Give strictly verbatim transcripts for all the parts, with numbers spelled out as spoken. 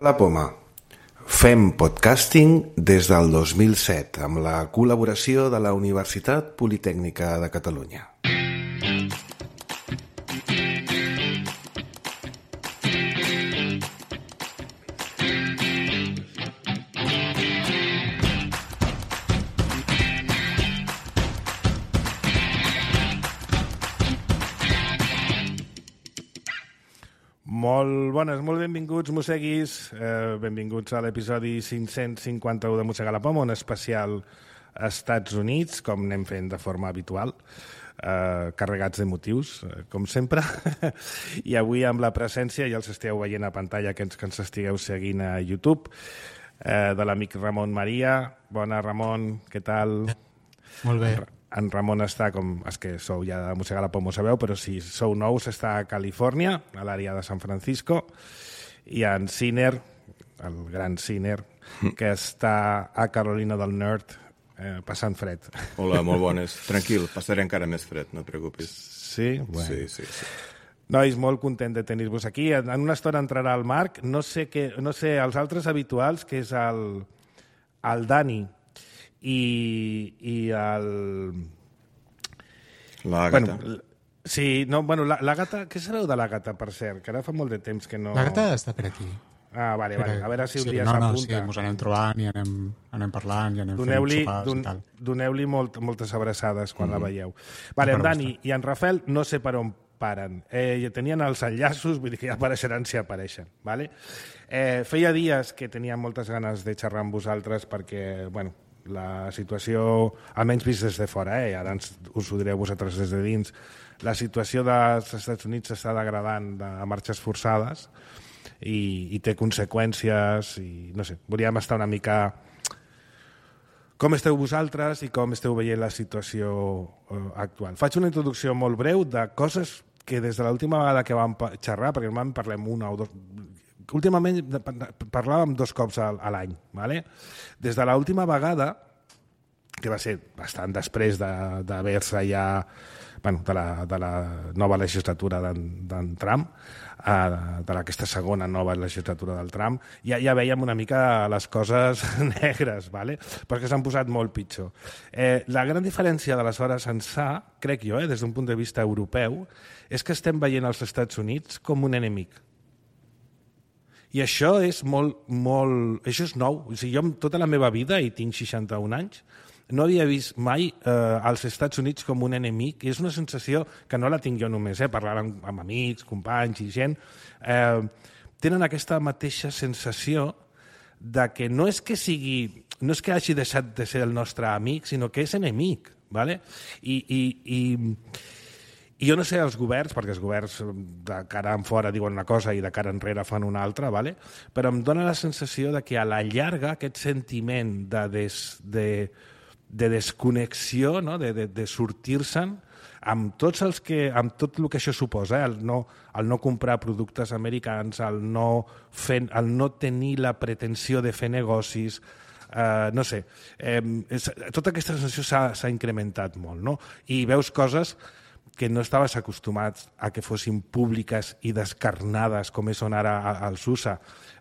La Poma. Fem podcasting des del dos mil set amb la col·laboració de la Universitat Politècnica de Catalunya. Molt bones, molt benvinguts, mosseguis. Eh, benvinguts a l'episodi cinc-cents cinquanta-u de Mossegar la Poma, un especial a Estats Units, com anem fent de forma habitual, eh, carregats de motius, eh, com sempre. I avui amb la presència, ja els esteu veient a pantalla, que ens, que ens estigueu seguint a YouTube, eh, de l'amic Ramon Maria. Bona, Ramon, què tal? Molt bé. En Ramon està, com és que sou ja de Mossegar la Poma, ho sabeu, però si sou nous està a Califòrnia, a l'àrea de San Francisco, i en Sinner, el gran Sinner, que està a Carolina del Nord, eh, passant fred. Hola, molt bones. Tranquil, passaré encara més fred, no et preocupis. Sí? Bueno. Sí, sí, sí. Nois, molt content de tenir-vos aquí. En una estona entrarà el Marc, no sé, què, no sé els altres habituals, que és el, el Dani, i, i el... L'Àgata. Bueno, sí, no, bueno, la, la gata... Què sabeu de la gata, per cert? Que ara fa molt de temps que no... La gata està per aquí. Ah, vale, vale. A veure si un sí, dia no, s'apunta. No, sí, ens anem trobant i anem, anem parlant i anem doneu-li, fent sopars don, i tal. Doneu-li molt, moltes abraçades quan mm. la veieu. Vale, en Dani i en Rafael no sé per on paren. Eh, tenien els enllaços, vull dir que ja apareixeran si apareixen. Vale? Eh, feia dies que tenia moltes ganes de xerrar amb vosaltres perquè, bueno, la situació, almenys vist des de fora, eh? Ara ens, us ho direu vosaltres des de dins, la situació dels Estats Units s'està degradant de, a marxes forçades i, i té conseqüències i no sé, volíem estar una mica com esteu vosaltres i com esteu veient la situació eh, actual. Faig una introducció molt breu de coses que des de l'última vegada que vam xerrar, perquè normalment parlem una o dos... Últimament parlàvem dos cops a, a l'any. Vale? Des de l'última vegada, que va ser bastant després d'haver-se ja... Bueno, de, la, de la nova legislatura d'en Trump, eh, de aquesta segona nova legislatura del Trump, ja, ja veiem una mica les coses negres, vale? Perquè s'han posat molt pitjor. Eh, la gran diferència d'aleshores ençà, crec jo, eh, des d'un punt de vista europeu, és que estem veient els Estats Units com un enemic. I això és molt, molt... Això és nou. O sigui, jo tota la meva vida, i tinc seixanta-un anys, no havia vist mai eh, als Estats Units com un enemic, i és una sensació que no la tinc jo només, eh, parlar amb, amb amics, companys i gent, eh, tenen aquesta mateixa sensació de que no és que sigui, no és que hagi deixat de ser el nostre amic, sinó que és enemic, ¿vale? I, i, i, i jo no sé els governs, perquè els governs de cara en fora diuen una cosa i de cara enrere fan una altra, ¿vale? Però em dóna la sensació de que a la llarga aquest sentiment de, des, de, de desconnexió, no? de, de, de sortir-se'n, amb tots els que, amb tot el que això suposa, eh? el, no, el no comprar productes americans, el no, fer, el no tenir la pretensió de fer negocis, eh, no sé, eh, és, tota aquesta sensació s'ha incrementat molt, no? I veus coses que no estaves acostumats a que fossin públiques i descarnades com són ara als U S A.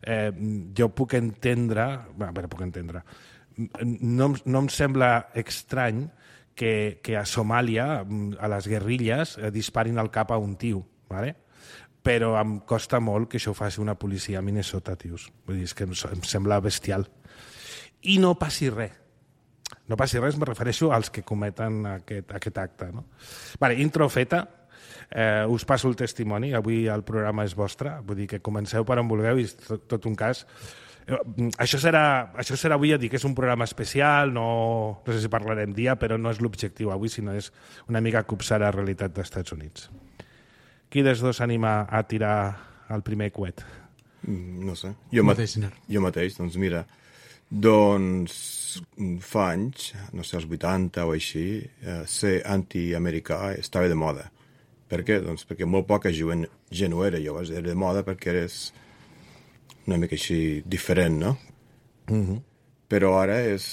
Eh, jo puc entendre, bueno, però puc entendre, no, no em sembla estrany que, que a Somàlia, a les guerrilles, eh, disparin al cap a un tio, ¿vale? Però em costa molt que això ho faci una policia a Minnesota, tios. Vull dir, és que em, em sembla bestial. I no passi res. No passi res, me refereixo als que cometen aquest, aquest acte. No? Vale, intro feta, eh, us passo el testimoni, avui el programa és vostre, vull dir que comenceu per on vulgueu i tot, tot un cas. Eh, això, serà, això serà avui, ja dic, és un programa especial, no, no sé si parlarem dia, però no és l'objectiu avui, sinó és una mica copsar la realitat dels Estats Units. Qui dels dos s'anima a tirar el primer coet? No sé, jo, mat jo mateix, doncs mira, doncs fa anys, no sé, als vuitanta o així, eh, ser antiamericà estava de moda. Per què? Doncs perquè molt poca gent, gent ho era, llavors era de moda perquè eres una mica així diferent, no? Mm-hmm. Però ara és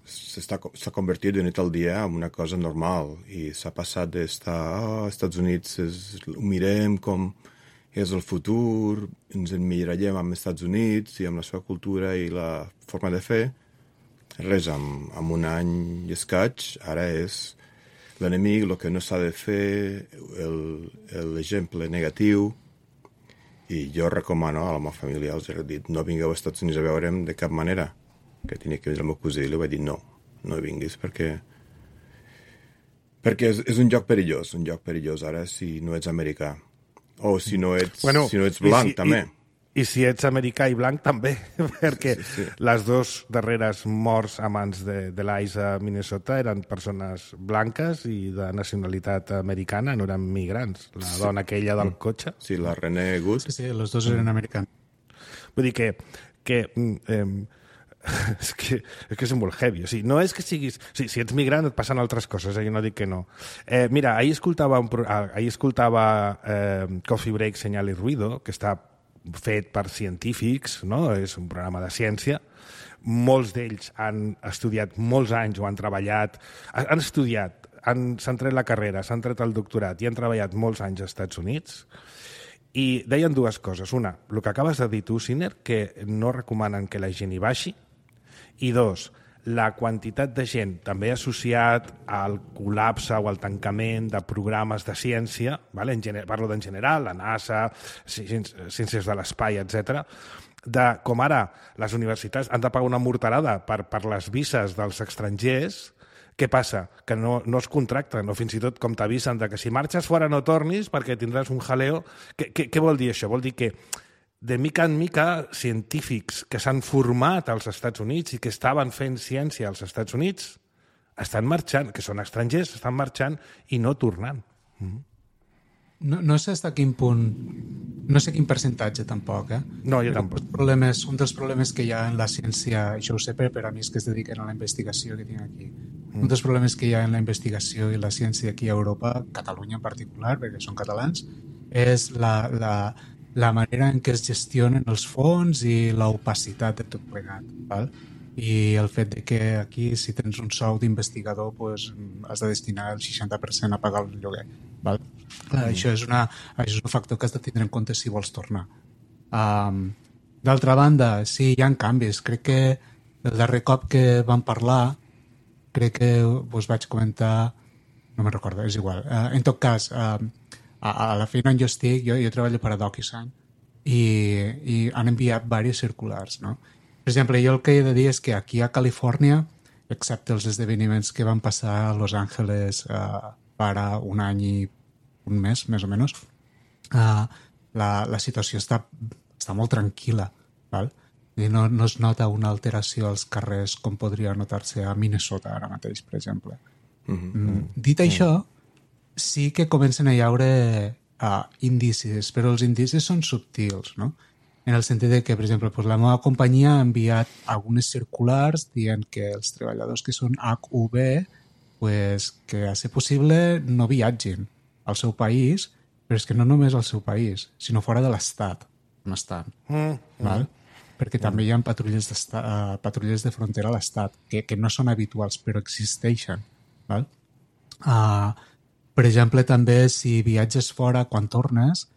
s'ha convertit de nit al dia en una cosa normal i s'ha passat d'estar, oh, als Estats Units és, ho mirem com és el futur, ens emmirallem amb els Estats Units i amb la seva cultura i la forma de fer. Res, amb, amb un any i escaig, ara és l'enemic, el que no s'ha de fer, l'exemple negatiu, i jo recomano a la meva família, els he dit, no vingueu als Estats Units a veure'm de cap manera, que tenia que vindre el meu cosí, i li vaig dir, no, no vinguis, perquè perquè és, és un lloc perillós, un lloc perillós ara si no ets americà. O si no ets, bueno, si no ets blanc, i si, també. I, I si ets americà i blanc, també, perquè sí, sí, sí. les dues darreres morts a mans de, de l'Ice a Minnesota eren persones blanques i de nacionalitat americana, no eren migrants. La sí. dona aquella del cotxe. Sí, la René Good. Sí, sí, els dos eren americans. Vull dir que... que eh, és que, és que és molt heavy. O sigui, no és que siguis... O sigui, si ets migrant et passen altres coses, eh? Jo no dic que no. Eh, mira, ahir escoltava, un, ahir escoltava eh, Coffee Break, Señal i Ruido, que està fet per científics, no? És un programa de ciència. Molts d'ells han estudiat molts anys o han treballat... Han estudiat, han, s'han tret la carrera, s'han tret el doctorat i han treballat molts anys als Estats Units. I deien dues coses. Una, el que acabes de dir tu, Siner, que no recomanen que la gent hi baixi. I dos, la quantitat de gent també associat al col·lapse o al tancament de programes de ciència, vale? En gener, parlo d'en general, la NASA, ciències de l'espai, etcètera, de com ara les universitats han de pagar una morterada per, per les vises dels estrangers. Què passa? Que no, no es contracten, o fins i tot com t'avisen de que si marxes fora no tornis perquè tindràs un jaleo. Què, què, què vol dir això? Vol dir que de mica en mica científics que s'han format als Estats Units i que estaven fent ciència als Estats Units estan marxant, que són estrangers, estan marxant i no tornant. Mm-hmm. No, no sé fins a quin punt, no sé quin percentatge tampoc, eh? No, jo tampoc. Problemes, un dels problemes que hi ha en la ciència, això ho sé per, per a mi que es dediquen a la investigació que tinc aquí, mm. un dels problemes que hi ha en la investigació i la ciència aquí a Europa, Catalunya en particular, perquè són catalans, és la, la, la manera en què es gestionen els fons i l'opacitat de tot plegat, val? I el fet de que aquí, si tens un sou d'investigador, pues, has de destinar el seixanta per cent a pagar el lloguer. Val? Clar, mm. això, és una, això és un factor que has de tindre en compte si vols tornar. Um, D'altra banda, sí, hi ha canvis. Crec que el darrer cop que vam parlar, crec que us vaig comentar... No me'n recordo, és igual. Uh, en tot cas, uh, a, a la feina on jo estic, jo, jo treballo per a DocuSign i, i han enviat diversos circulars, no? Per exemple, jo el que he de dir és que aquí a Califòrnia, excepte els esdeveniments que van passar a Los Angeles uh, para un any i un mes, més o menys, uh, la, la situació està, està molt tranquil·la, val? I no, no es nota una alteració als carrers com podria notar-se a Minnesota ara mateix, per exemple. Mm-hmm. Mm, dit mm-hmm. això, sí que comencen a hi haure uh, indicis, però els indicis són subtils, no? En el sentit de que, per exemple, pues, la meva companyia ha enviat algunes circulars dient que els treballadors que són H U B, pues, que a ser possible no viatgin al seu país, però és que no només al seu país, sinó fora de l'estat on estan. Mm, val? Mm, Perquè mm. també hi ha patrulles, uh, patrulles de frontera a l'estat, que, que no són habituals, però existeixen. Val? Uh, per exemple, també si viatges fora quan tornes,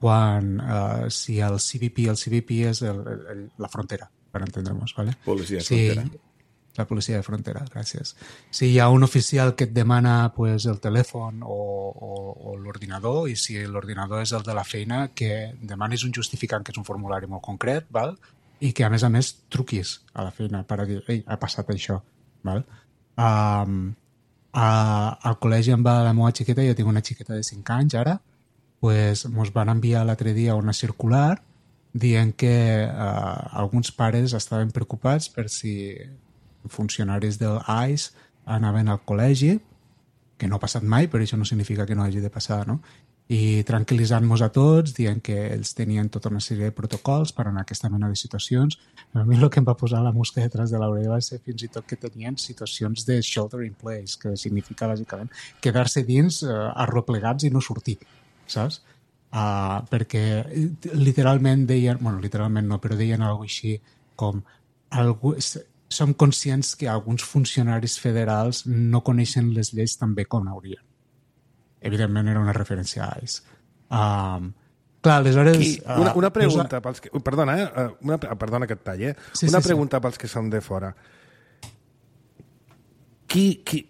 quan uh, si el C B P, el C B P és el, el, la frontera, per entendre-nos, ¿vale? Policia de si, frontera. La policia de frontera, gràcies. Si hi ha un oficial que et demana pues, el telèfon o, o, o l'ordinador, i si l'ordinador és el de la feina, que demanis un justificant, que és un formulari molt concret, val? I que a més a més truquis a la feina per a dir, ei, ha passat això. Val? Um, a, al col·legi em va la meva xiqueta, jo tinc una xiqueta de cinc anys ara, pues, ens van enviar l'altre dia una circular dient que eh, alguns pares estaven preocupats per si funcionaris del I C E anaven al col·legi, que no ha passat mai, però això no significa que no hagi de passar, no? I tranquil·litzant-nos a tots, dient que ells tenien tota una sèrie de protocols per anar a aquesta mena de situacions. A mi el que em va posar la mosca detrás de l'orella va ser fins i tot que tenien situacions de shelter in place, que significa, bàsicament, quedar-se dins eh, arroplegats i no sortir, saps? Uh, perquè literalment deien, bueno, literalment no, però deien alguna cosa així com algú, som conscients que alguns funcionaris federals no coneixen les lleis tan bé com haurien. Evidentment era una referència a I C E. Um, Clar, aleshores... Qui, una, una uh, pregunta pels que... Perdona, eh? Una, perdona que et talli, eh? Sí, una sí, pregunta sí. pels que som de fora. Qui, qui,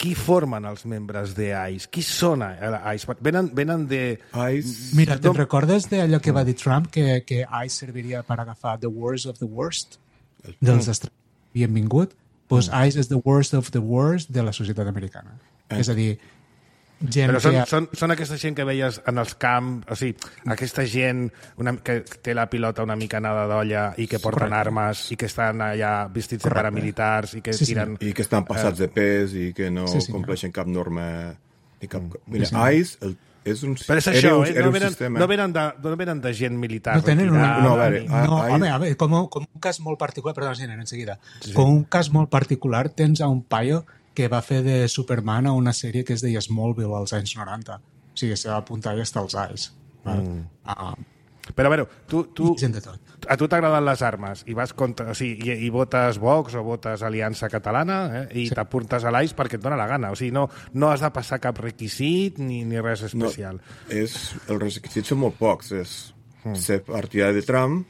qui formen els membres d'ICE? Qui són ICE? Venen, venen de... ICE... Mira, te'n recordes d'allò que va dir Trump, que, que ICE serviria per agafar the worst of the worst dels estrangers que havien vingut? Doncs pues ICE és the worst of the worst de la societat americana. Eh. És a dir, gent Però són, que... són, són aquesta gent que veies en els camps, o sigui, aquesta gent una, que té la pilota una mica anada d'olla i que porten Correcte. armes i que estan allà vestits de paramilitars i que Sí, sí. tiren... I que estan passats de pes i que no Sí, sí, compleixen cap norma ni cap... Mm. Mira, Sí, sí. ICE el, és un... Però és era això, un, eh? era No un venen, sistema... no, venen de, no venen de gent militar. No tenen una- retirada, No, a veure, ni- ah, No, ah, home, a veure, com, com un cas molt particular, perdona, Giner, enseguida. Sí, sí. Com un cas molt particular tens a un paio que va fer de Superman a una sèrie que es deia Smallville als anys noranta. O sigui, se va apuntar i està als Ais. Mm. Uh, Però, a veure, tu, tu, gent de tot. a tu t'agraden les armes i vas contra, o sigui, i, i votes Vox o votes Aliança Catalana eh? i sí. t'apuntes a l'A I S perquè et dona la gana. O sigui, no, no has de passar cap requisit ni, ni res especial. No, és, els requisits són molt pocs. És mm. ser partidari de Trump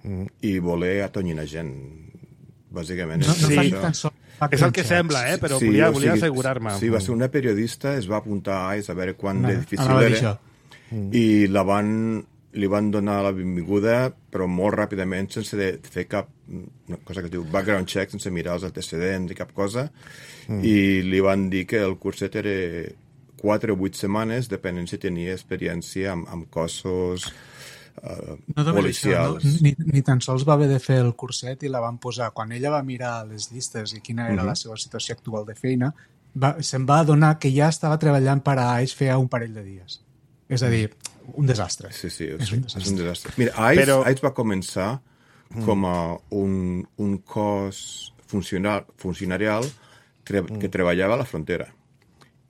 mm. i voler atonyinar gent. Bàsicament. No, és no Sí. fan tan sols És el que sembla, eh? Però Sí, volia, o volia sigui, assegurar-me. Sí, va ser una periodista, es va apuntar a I C E a veure quan No, de difícil anava a dir era això. i la van, li van donar la benvinguda però molt ràpidament sense de fer cap una cosa que es diu background check, sense mirar els antecedents i cap cosa mm. i li van dir que el curset era quatre o vuit setmanes depenent si tenia experiència amb, amb cossos Uh, No només això, policials. no? Ni, ni tan sols va haver de fer el curset i la van posar. Quan ella va mirar les llistes i quina era uh -huh. la seva situació actual de feina, va, se'n va adonar que ja estava treballant per a I C E feia un parell de dies. És a dir, un desastre. Sí, sí, és, sí, un desastre. és un desastre. Mira, I C E, Però- Però... I C E va començar com a un, un cos funcional, funcionarial tre que treballava a la frontera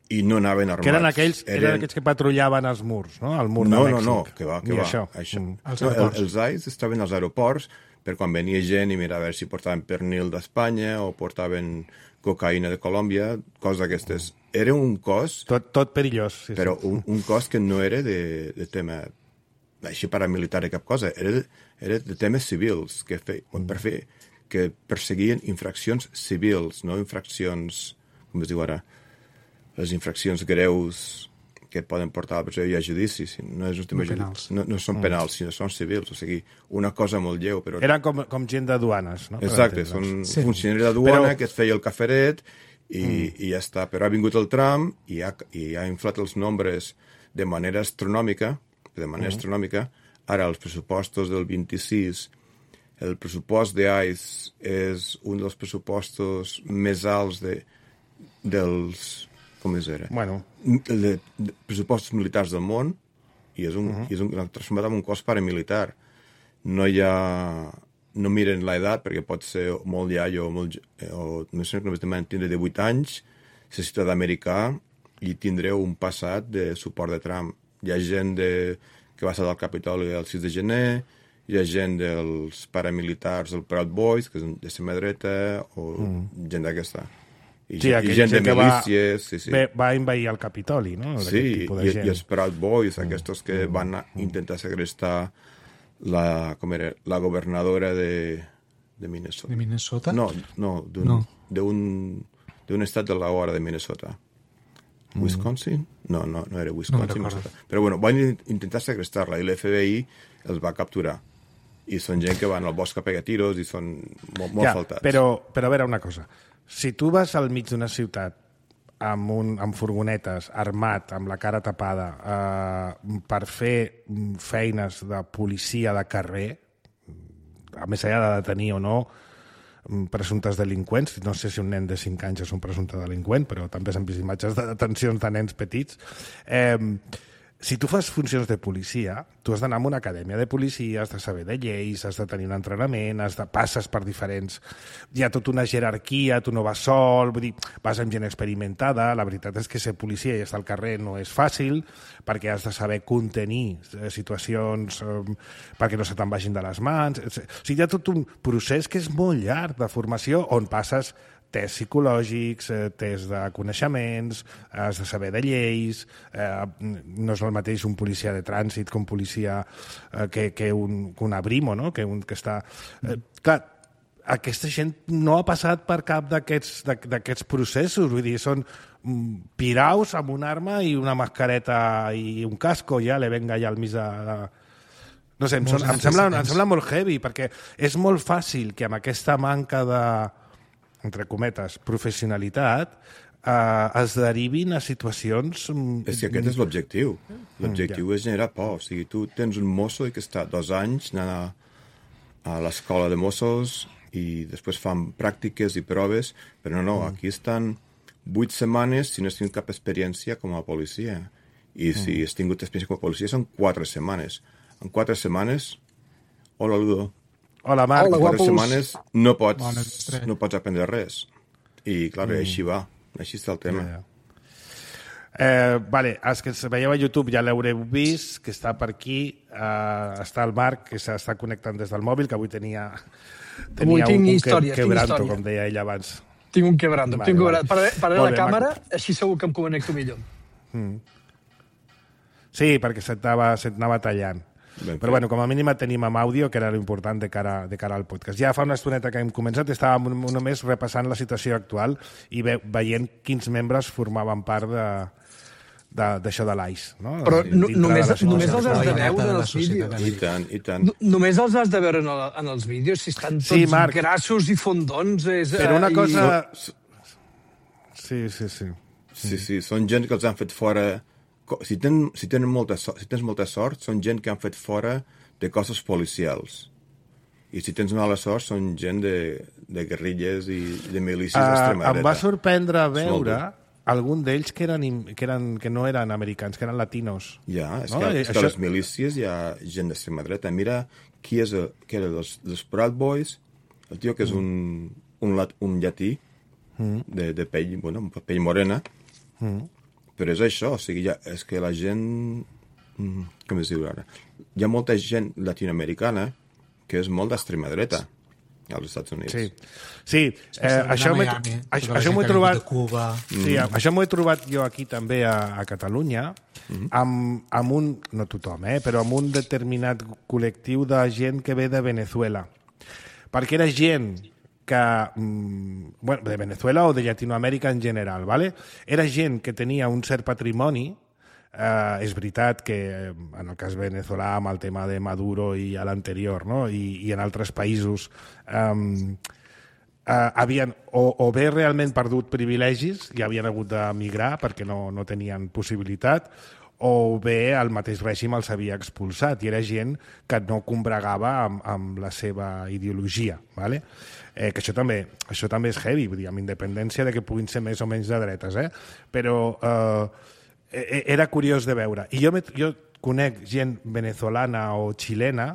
i no anaven armats. Que eren aquells, eren... eren aquells que patrullaven els murs, no? El mur No, de no, Mèxic. no, que va, que Ni va. això. això. Mm. Als No, el, aeroports. els I C E estaven als aeroports per quan venia gent i mira a veure si portaven pernil d'Espanya o portaven cocaïna de Colòmbia, coses d'aquestes. Era un cos, Tot, tot perillós. Sí, però sí. un, un cos que no era de, de tema així paramilitar i cap cosa, era de, era de temes civils, que fe, mm. per fer, que perseguien infraccions civils, no infraccions, com es diu ara, les infraccions greus que et poden portar a la presó i a judici, no, és un tema No penals. no, no són penals, sinó són civils, o sigui, una cosa molt lleu, però... Eren com, com gent de duanes, no? Per Exacte, entendre'ns. són Sí. funcionaris de duana Però- que et feia el caferet i, mm. i ja està. Però ha vingut el Trump i ha, i ha inflat els nombres de manera astronòmica, de manera mm. astronòmica. Ara, els pressupostos del vint-i-sis, el pressupost de I C E és un dels pressupostos més alts de, dels... com es era? Bueno, de, de pressupostos militars del món i és un, uh -huh. i és un transformat en un cos paramilitar. No hi ha... No miren l'edat perquè pot ser molt iaio o molt... o no sé, només demanen tindre divuit anys, ser ciutadà americà i tindré un passat de suport de Trump. Hi ha gent de, que va estar al Capitoli el sis de gener, hi ha gent dels paramilitars del Proud Boys, que és d'extrema dreta, o mm. gent d'aquesta. I, sí, i aquella gent de gent que va, milícies, sí, sí. Bé, va invair el Capitoli, no? Sí, D'aquest tipus de i, gent. i els Proud Boys, aquests que van a intentar segrestar la, com era, la governadora de, de Minnesota. De Minnesota? No, no, d'un No. d'un d'un estat de la hora de Minnesota. Wisconsin? No, no, no era Wisconsin. No Minnesota. Però bueno, van in- intentar segrestar-la i l'F B I els va capturar. I són gent que van al bosc a pegar tiros i són molt, molt ja, faltats. Però, però a veure una cosa. Si tu vas al mig d'una ciutat amb, un, amb furgonetes, armat, amb la cara tapada, eh, per fer mm, feines de policia de carrer, a més allà de detenir o no mm, presumptes delinqüents, no sé si un nen de cinc anys és un presumpte delinqüent, però també s'han vist imatges de detencions de nens petits, eh, si tu fas funcions de policia, tu has d'anar a una acadèmia de policia, has de saber de lleis, has de tenir un entrenament, has de passes per diferents... Hi ha tota una jerarquia, tu no vas sol, vull dir, vas amb gent experimentada, la veritat és que ser policia i estar al carrer no és fàcil, perquè has de saber contenir situacions eh, perquè no se te'n vagin de les mans... O sigui, hi ha tot un procés que és molt llarg de formació on passes tests psicològics, eh, tests de coneixements, has de saber de lleis, eh, no és el mateix un policia de trànsit que un policia eh, que, que, un, que un abrimo, no? Que, un, que està... Eh, clar, aquesta gent no ha passat per cap d'aquests processos, vull dir, són piraus amb una arma i una mascareta i un casco, ja le venga ja al mig de... de... No sé, em, son, em, sembla, em sembla molt heavy, perquè és molt fàcil que amb aquesta manca de, entre cometes, professionalitat, eh, es derivin a situacions... És que aquest és l'objectiu. L'objectiu mm, ja. és generar por. O sigui, tu tens un mosso que està dos anys anant a, a l'escola de Mossos i després fan pràctiques i proves, però no, no, mm. aquí estan vuit setmanes si no has tingut cap experiència com a policia. I mm. si has tingut experiència com a policia són quatre setmanes. En quatre setmanes, hola Ludo. Hola Marc. En quatre setmanes no pots, no pots aprendre res. I clar, mm. així va. Així està el tema. Ja, ja. Eh, vale, els que veieu a YouTube ja l'haureu vist, que està per aquí. Eh, està el Marc, que s'està connectant des del mòbil, que avui tenia, tenia avui un, un història, que, quebranto, com deia ell abans. Tinc un quebranto. Vale, tinc un quebranto. Vale. Pararé la bé, càmera, Marc. així segur que em connecto millor. Mm. Sí, perquè se't anava tallant. Ben Però, bueno, com a mínim et tenim amb àudio, que era l'important de, cara, de cara al podcast. Ja fa una estoneta que hem començat, estàvem només repassant la situació actual i ve, veient quins membres formaven part de d'això de l'A I S. No? Però no, només, de només els has de veure en els vídeos. I tant, i tant. No, només els has de veure en, el, en els vídeos, si estan tots sí, Marc, grassos i fondons. És, però una cosa... I... Sí, sí, sí. Sí, sí, són gent que els han fet fora... Si, ten, si, tenen molta sort, si tens molta sort, són gent que han fet fora de cossos policials. I si tens mala sort, són gent de, de guerrilles i de milícies uh, d'extrema dreta. Em va sorprendre veure algun d'ells que, eren, que, eren, que no eren americans, que eren latinos. Ja, és no? que, és Això... que a les milícies hi ha gent d'extrema dreta. Mira qui és el, que era dels, dels Proud Boys, el tio que és un, un, lat, un llatí mm. de, de pell, bueno, pell morena, mm. però és això, o sigui, ja, és que la gent... Com es diu ara? Hi ha molta gent latinoamericana que és molt d'extrema dreta als Estats Units. Sí, sí eh, això m'ho he trobat... Cuba. Sí, mm. això m'ho he trobat jo aquí també a, a Catalunya, mm. amb, amb un, no tothom, eh, però amb un determinat col·lectiu de gent que ve de Venezuela. Perquè era gent que, bueno, de Venezuela o de Llatinoamèrica en general, ¿vale? Era gent que tenia un cert patrimoni. Eh, és veritat que en el cas venezolà amb el tema de Maduro i a l'anterior, no? I, i en altres països eh, eh, havien o, o bé realment perdut privilegis i havien hagut d'emigrar perquè no, no tenien possibilitat, o bé el mateix règim els havia expulsat i era gent que no combregava amb, amb la seva ideologia, ¿vale? Eh, que això també, això també és heavy, vull dir, amb independència de que puguin ser més o menys de dretes, eh? Però eh, era curiós de veure. I jo, me, jo conec gent venezolana o xilena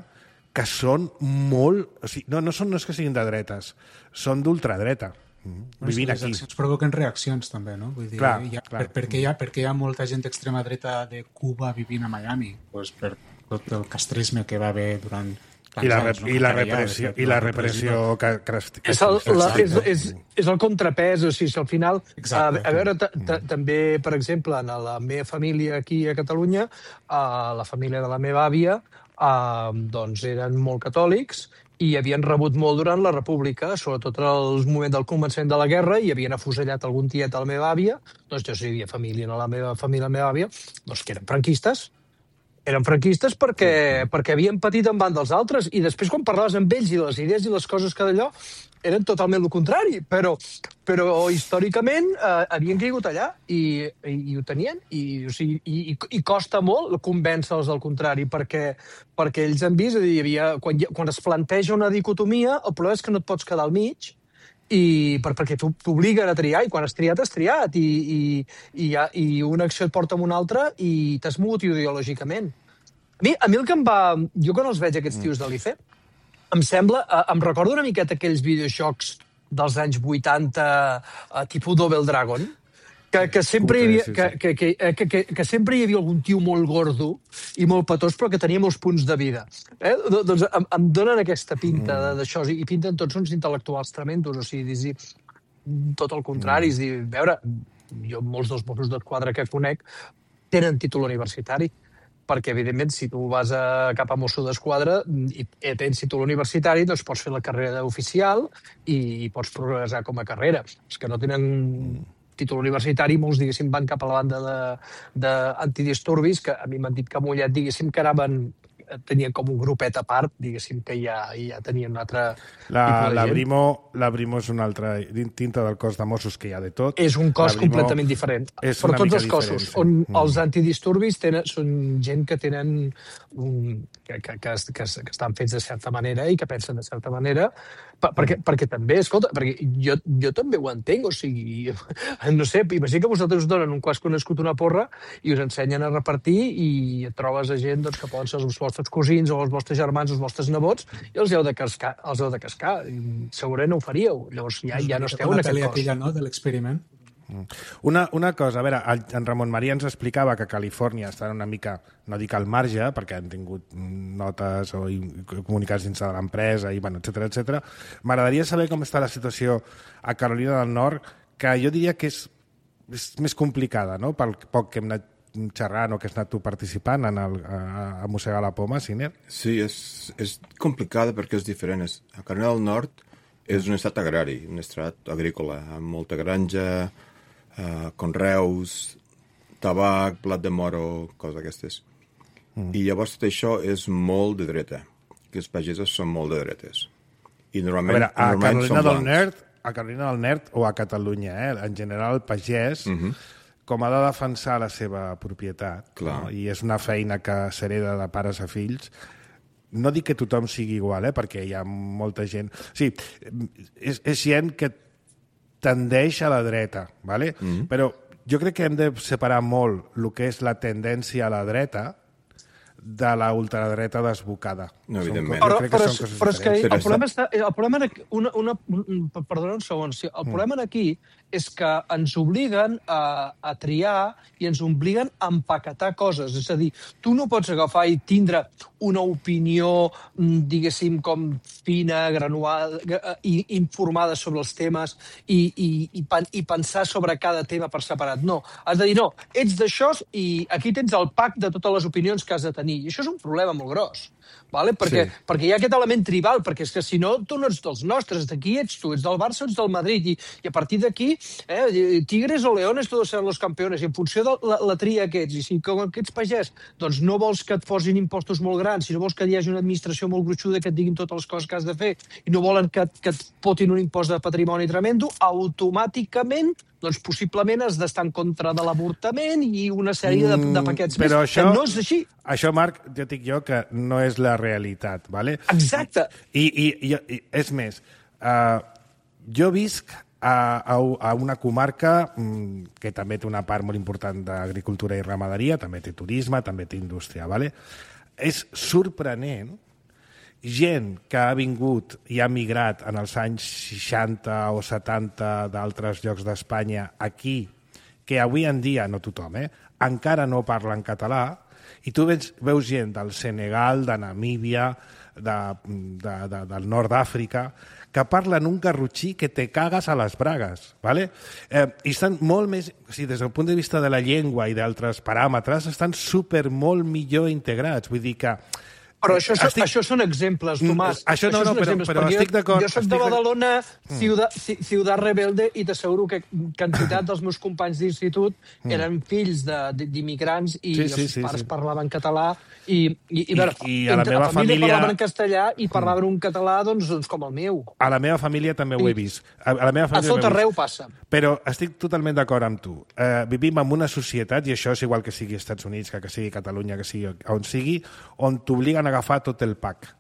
que són molt... O sigui, no, no, són, no és que siguin de dretes, són d'ultradreta. Bueno, vivint les aquí. Les accions provoquen reaccions, també, no? Vull dir, clar, hi ha, clar. Per, per, què hi ha, per què hi ha molta gent d'extrema dreta de Cuba vivint a Miami? Pues per tot el castrisme que va haver durant... I la, anys, no? I la repressió, i la repressió que, que, que és, el, la, és, és, és el contrapès, o sigui, al final Exacte. a, a veure, t -t també, per exemple, en la meva família aquí a Catalunya, a la família de la meva àvia, a, doncs eren molt catòlics i havien rebut molt durant la República, sobretot al moment del començament de la guerra, i havien afusellat algun tiet a la meva àvia, doncs jo sí hi havia família a la meva família, la meva àvia, doncs que eren franquistes, eren franquistes perquè, perquè havien patit en van dels altres, i després quan parlaves amb ells i les idees i les coses que d'allò eren totalment el contrari, però, però històricament eh, havien caigut allà i, i, i ho tenien, i, o sigui, i, i costa molt convèncer-los del contrari, perquè, perquè ells han vist, hi havia, quan, quan es planteja una dicotomia, el problema és que no et pots quedar al mig, i per, perquè t'obliguen a triar, i quan has triat, has triat, i, i, i, i una acció et porta amb una altra, i t'has mogut ideològicament. A mi, a mi el que em va... Jo quan els veig, aquests tios de l'I C E, em sembla... Em recordo una miqueta aquells videojocs dels anys vuitanta, tipus Double Dragon, que, que, sempre hi havia, que, que, que, que, que, que sempre hi havia algun tio molt gordo i molt petós, però que tenia molts punts de vida. Eh? Doncs em, em donen aquesta pinta d'això, i pinten tots uns intel·lectuals tremendos, o sigui, tot el contrari. Mm. És dir, a veure, jo molts dels Mossos d'Esquadra que conec tenen títol universitari, perquè, evidentment, si tu vas a, cap a Mosso d'Esquadra i tens títol universitari, doncs pots fer la carrera d'oficial i, i pots progressar com a carrera. Els que no tenen títol universitari, molts, diguéssim, van cap a la banda d'antidisturbis, que a mi m'han dit que a Mollet, diguéssim, que anaven, tenien com un grupet a part, diguéssim, que ja, ja tenien un altre la, tipus de la gent. Brimo, la Brimo és una altra dintre del cos de Mossos que hi ha de tot. És un cos Brimo completament diferent. Però tots els cossos, diferent, sí. on mm. els antidisturbis tenen, són gent que tenen un, que, que, que, que, que estan fets de certa manera i que pensen de certa manera, per, perquè, perquè també, escolta, perquè jo, jo també ho entenc, o sigui, no sé, imagina que vosaltres us donen un quas que heu nascut una porra i us ensenyen a repartir i et trobes a gent doncs, que poden ser els vostres cosins o els vostres germans o els vostres nebots i els heu de cascar. Els heu de cascar. Segurament no ho faríeu. Llavors ja, ja no esteu en aquest cos. Aquella, no?, de l'experiment. Una, una cosa, a veure, en Ramon Maria ens explicava que Califòrnia està una mica, no dic al marge, perquè han tingut notes o comunicats dins de l'empresa, i bueno, etcètera, etcètera. M'agradaria saber com està la situació a Carolina del Nord, que jo diria que és, és més complicada, no?, pel poc que hem anat xerrant o que has anat tu participant en el, a, a mossegar la poma, Siner? Sí, és, és complicada perquè és diferent. A Carolina del Nord és un estat agrari, un estat agrícola, amb molta granja, Uh, conreus, tabac, blat de moro, coses d'aquestes. Mm. I llavors tot això és molt de dreta, que els pagesos són molt de dretes. I normalment, a veure, a normalment Carolina són del blancs. Nord, a Carolina del Nord o a Catalunya, eh? En general el pagès, mm-hmm. com ha de defensar la seva propietat, no? I és una feina que s'hereda de pares a fills, no dic que tothom sigui igual, eh? Perquè hi ha molta gent... Sí, és, és gent que tendeix a la dreta, ¿vale? Mm-hmm. Però jo crec que hem de separar molt el que és la tendència a la dreta de la ultradreta desbocada. No, evidentment. Però, però, és, però és que el problema està... El problema aquí, una, una, perdona un segon. El mm. problema aquí és que ens obliguen a, a triar i ens obliguen a empaquetar coses. És a dir, tu no pots agafar i tindre una opinió, diguéssim, com fina, granuada, i informada sobre els temes i, i, i, i pensar sobre cada tema per separat. No, has de dir, no, ets d'això i aquí tens el pack de totes les opinions que has de tenir. I això és un problema molt gros. Vale? Perquè, sí. perquè hi ha aquest element tribal, perquè és que si no, tu no ets dels nostres, d'aquí ets tu, ets del Barça o ets del Madrid, i, i a partir d'aquí, eh, Tigres o Leones, todos seran los campeones, i en funció de la, la tria que ets, i si com que ets pagès, doncs no vols que et posin impostos molt grans, si no vols que hi hagi una administració molt gruixuda que et diguin totes les coses que has de fer, i no volen que, que et potin un impost de patrimoni tremendo, automàticament doncs possiblement has d'estar en contra de l'avortament i una sèrie de, de paquets mm, més, això, que no és així. Això, Marc, ja dic jo que no és la realitat, ¿vale? Exacte. I, i, i, i és més, uh, jo visc a, a, a una comarca mm, que també té una part molt important d'agricultura i ramaderia, també té turisme, també té indústria, ¿vale? És sorprenent gent que ha vingut i ha migrat en els anys seixanta o setanta d'altres llocs d'Espanya aquí, que avui en dia, no tothom, eh, encara no parlen català, i tu veus, veus gent del Senegal, de Namíbia, de, de, de, del nord d'Àfrica, que parlen un garrotxí que te cagues a les bragues, ¿vale? Eh, i estan molt més... O sigui, des del punt de vista de la llengua i d'altres paràmetres, estan super molt millor integrats. Vull dir que... Però això, estic... això són exemples, Tomàs. Això no, això no, però, però estic d'acord. Jo soc de Badalona, ciutat, ciutat rebelde, i t'asseguro que quantitat dels meus companys d'institut eren fills d'immigrants i sí, sí, els sí, pares sí. parlaven català i, i, i, I, i a la meva família, família parlaven en castellà i parlaven un català doncs, doncs com el meu. A la meva família també ho he vist. A, a, la meva família a tot arreu passa. Però estic totalment d'acord amb tu. Uh, vivim en una societat, i això és igual que sigui Estats Units, que, que sigui Catalunya, que sigui on sigui, on t'obliguen a agafar tot el pack.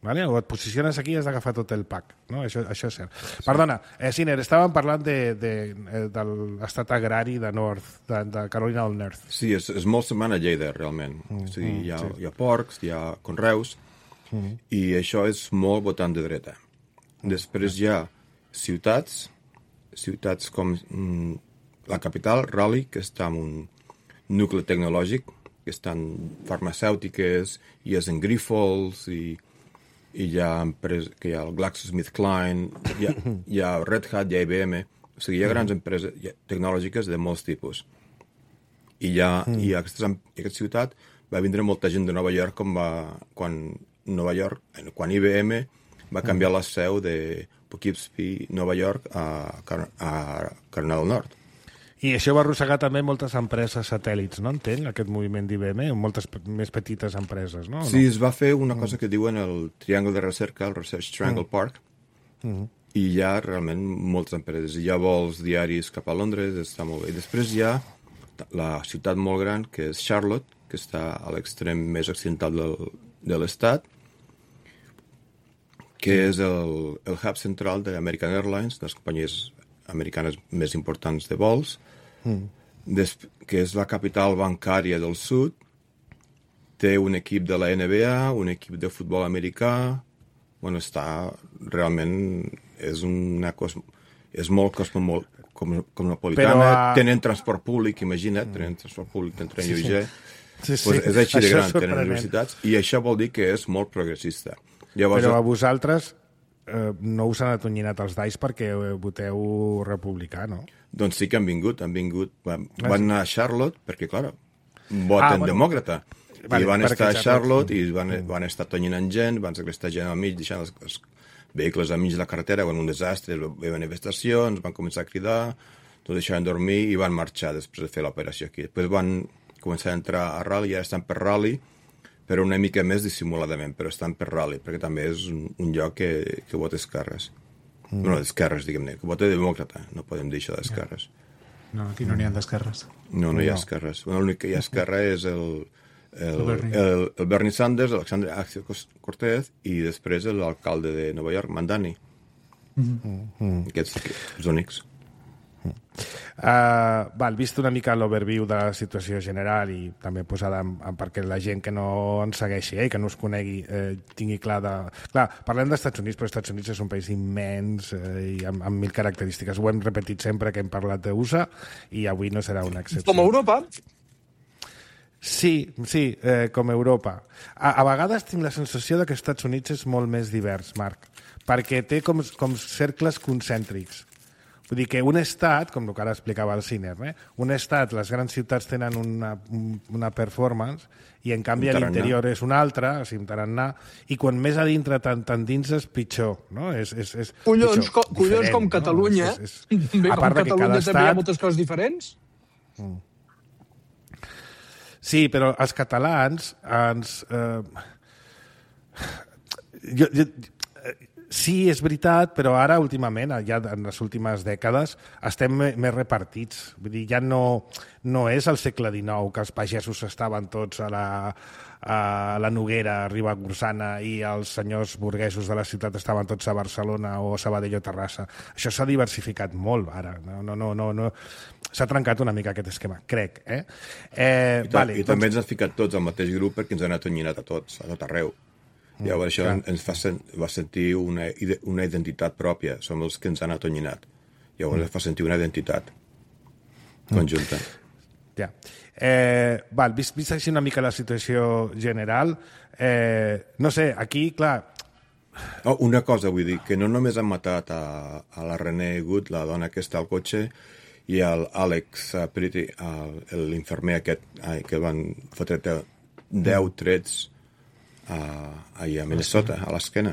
¿Vale? O et posiciones aquí i has d'agafar tot el pack. No? Això, això és cert. Sí. Perdona, eh, Siner, estàvem parlant de, de, de, de l'estat agrari de North, de, de Carolina del Nord. Sí, és, és molt semblant a Lleida, realment. Mm, o sigui, hi, ha, sí. hi ha porcs, hi ha conreus, mm. i això és molt votant de dreta. Després hi ha ciutats, ciutats com mm, la capital, Raleigh, que està en un nucli tecnològic, que estan farmacèutiques, i és en Grifols, i i hi ha, empreses, que hi ha el GlaxoSmithKline, hi ha, hi ha Red Hat, hi ha I B M, o sigui, hi ha grans empreses tecnològiques de molts tipus. I, ja, mm. i a aquesta, aquesta ciutat va vindre molta gent de Nova York com va, quan Nova York, quan I B M va canviar la seu de Poughkeepsie, Nova York, a, a Carolina del Nord. I això va arrossegar també moltes empreses satèl·lits, no entenc, aquest moviment d'I B M, moltes més petites empreses, no? Sí, es va fer una cosa que diuen el Triangle de Recerca, el Research Triangle mm. Park, mm. i hi ha realment moltes empreses. Hi ha vols diaris cap a Londres, està molt bé. I després hi ha la ciutat molt gran, que és Charlotte, que està a l'extrem més occidental del, de l'estat, que és el, el hub central d'American Airlines, de les companyies americanes més importants de vols, mm. des, que és la capital bancària del sud, té un equip de la N B A, un equip de futbol americà, bueno, està realment, és una cosa, és molt cosmomol, com, cosmopolitana, Però, uh... tenen transport públic, imagina't, mm. tenen transport públic, tenen tren lleuger, sí, sí. Sí, sí. Pues és així de gran, tenen universitats, i això vol dir que és molt progressista. Llavors, però a vosaltres eh, no us han atonyinat els dais perquè voteu republicà, no? Doncs sí que han vingut, han vingut, van, van anar a Charlotte, perquè, clar, voten ah, bueno, demòcrata, vale, i van estar a Charlotte i van, mm. van estar atonyinant gent, van segrestar gent al mig, deixant els, els vehicles al mig de la carretera, quan un desastre, hi va manifestacions, van començar a cridar, tot deixaven dormir i van marxar després de fer l'operació aquí. Després van començar a entrar a Raleigh, i ara estan per Raleigh, però una mica més dissimuladament, però estan per Raleigh, perquè també és un, un lloc que, que vota esquerres. Mm. Bueno, d'esquerres, diguem-ne, que vota demòcrata, no podem dir això d'esquerres. No, aquí no n'hi ha d'esquerres. No, no hi ha esquerres. Bueno, l'únic que hi ha esquerra és el, el, el, el, el Bernie Sanders, l'Alexandre Ocasio-Cortez, i després l'alcalde de Nova York, Mandani. Mm. Aquests, els únics. Uh, val, vist una mica l'overview de la situació general i també posada en, en, perquè la gent que no ens segueixi eh, i que no us conegui eh, tingui clar de... Clar, parlem dels Estats Units, però els Estats Units és un país immens eh, i amb, amb mil característiques. Ho hem repetit sempre que hem parlat d'U S A i avui no serà una excepció. Com Europa? Sí, sí, eh, com Europa. A, a vegades tinc la sensació de que els Estats Units és molt més divers, Marc, perquè té com, com cercles concèntrics. Vull dir que un estat, com el que ara explicava el Ciner, eh? un estat, les grans ciutats tenen una, una performance i en canvi a l'interior és una altra, o sigui, un tarannà, i quan més a dintre tant, tant dins és pitjor. No? És, és, és collons, pitjor, co collons com Catalunya, no? és, és, és... Bé, a part com Catalunya també estat... hi ha moltes coses diferents. Mm. Sí, però els catalans ens... Eh... Jo, jo, sí, és veritat, però ara, últimament, ja en les últimes dècades, estem més repartits. Vull dir, ja no, no és el segle dinou, que els pagesos estaven tots a la, a la Noguera, a Ribagorçana, i els senyors burguesos de la ciutat estaven tots a Barcelona o a Sabadell o Terrassa. Això s'ha diversificat molt, ara. No, no, no, no, no. S'ha trencat una mica aquest esquema, crec. Eh? Eh, I, vale, I doncs... també ens han ficat tots al mateix grup perquè ens han atonyinat a tots, a tot arreu. Llavors això ens fa, va sentir una, una identitat pròpia. Som els que ens han atonyinat. Llavors mm. ens fa sentir una identitat conjunta. Ja. Eh, val, vist, vist així una mica la situació general, eh, no sé, aquí, clar... Oh, una cosa, vull dir, que no només han matat a, a la René Good, la dona que està al cotxe, i al Alex Pretty, l'infermer aquest, que van fotre deu trets a, a Minnesota, a l'esquena,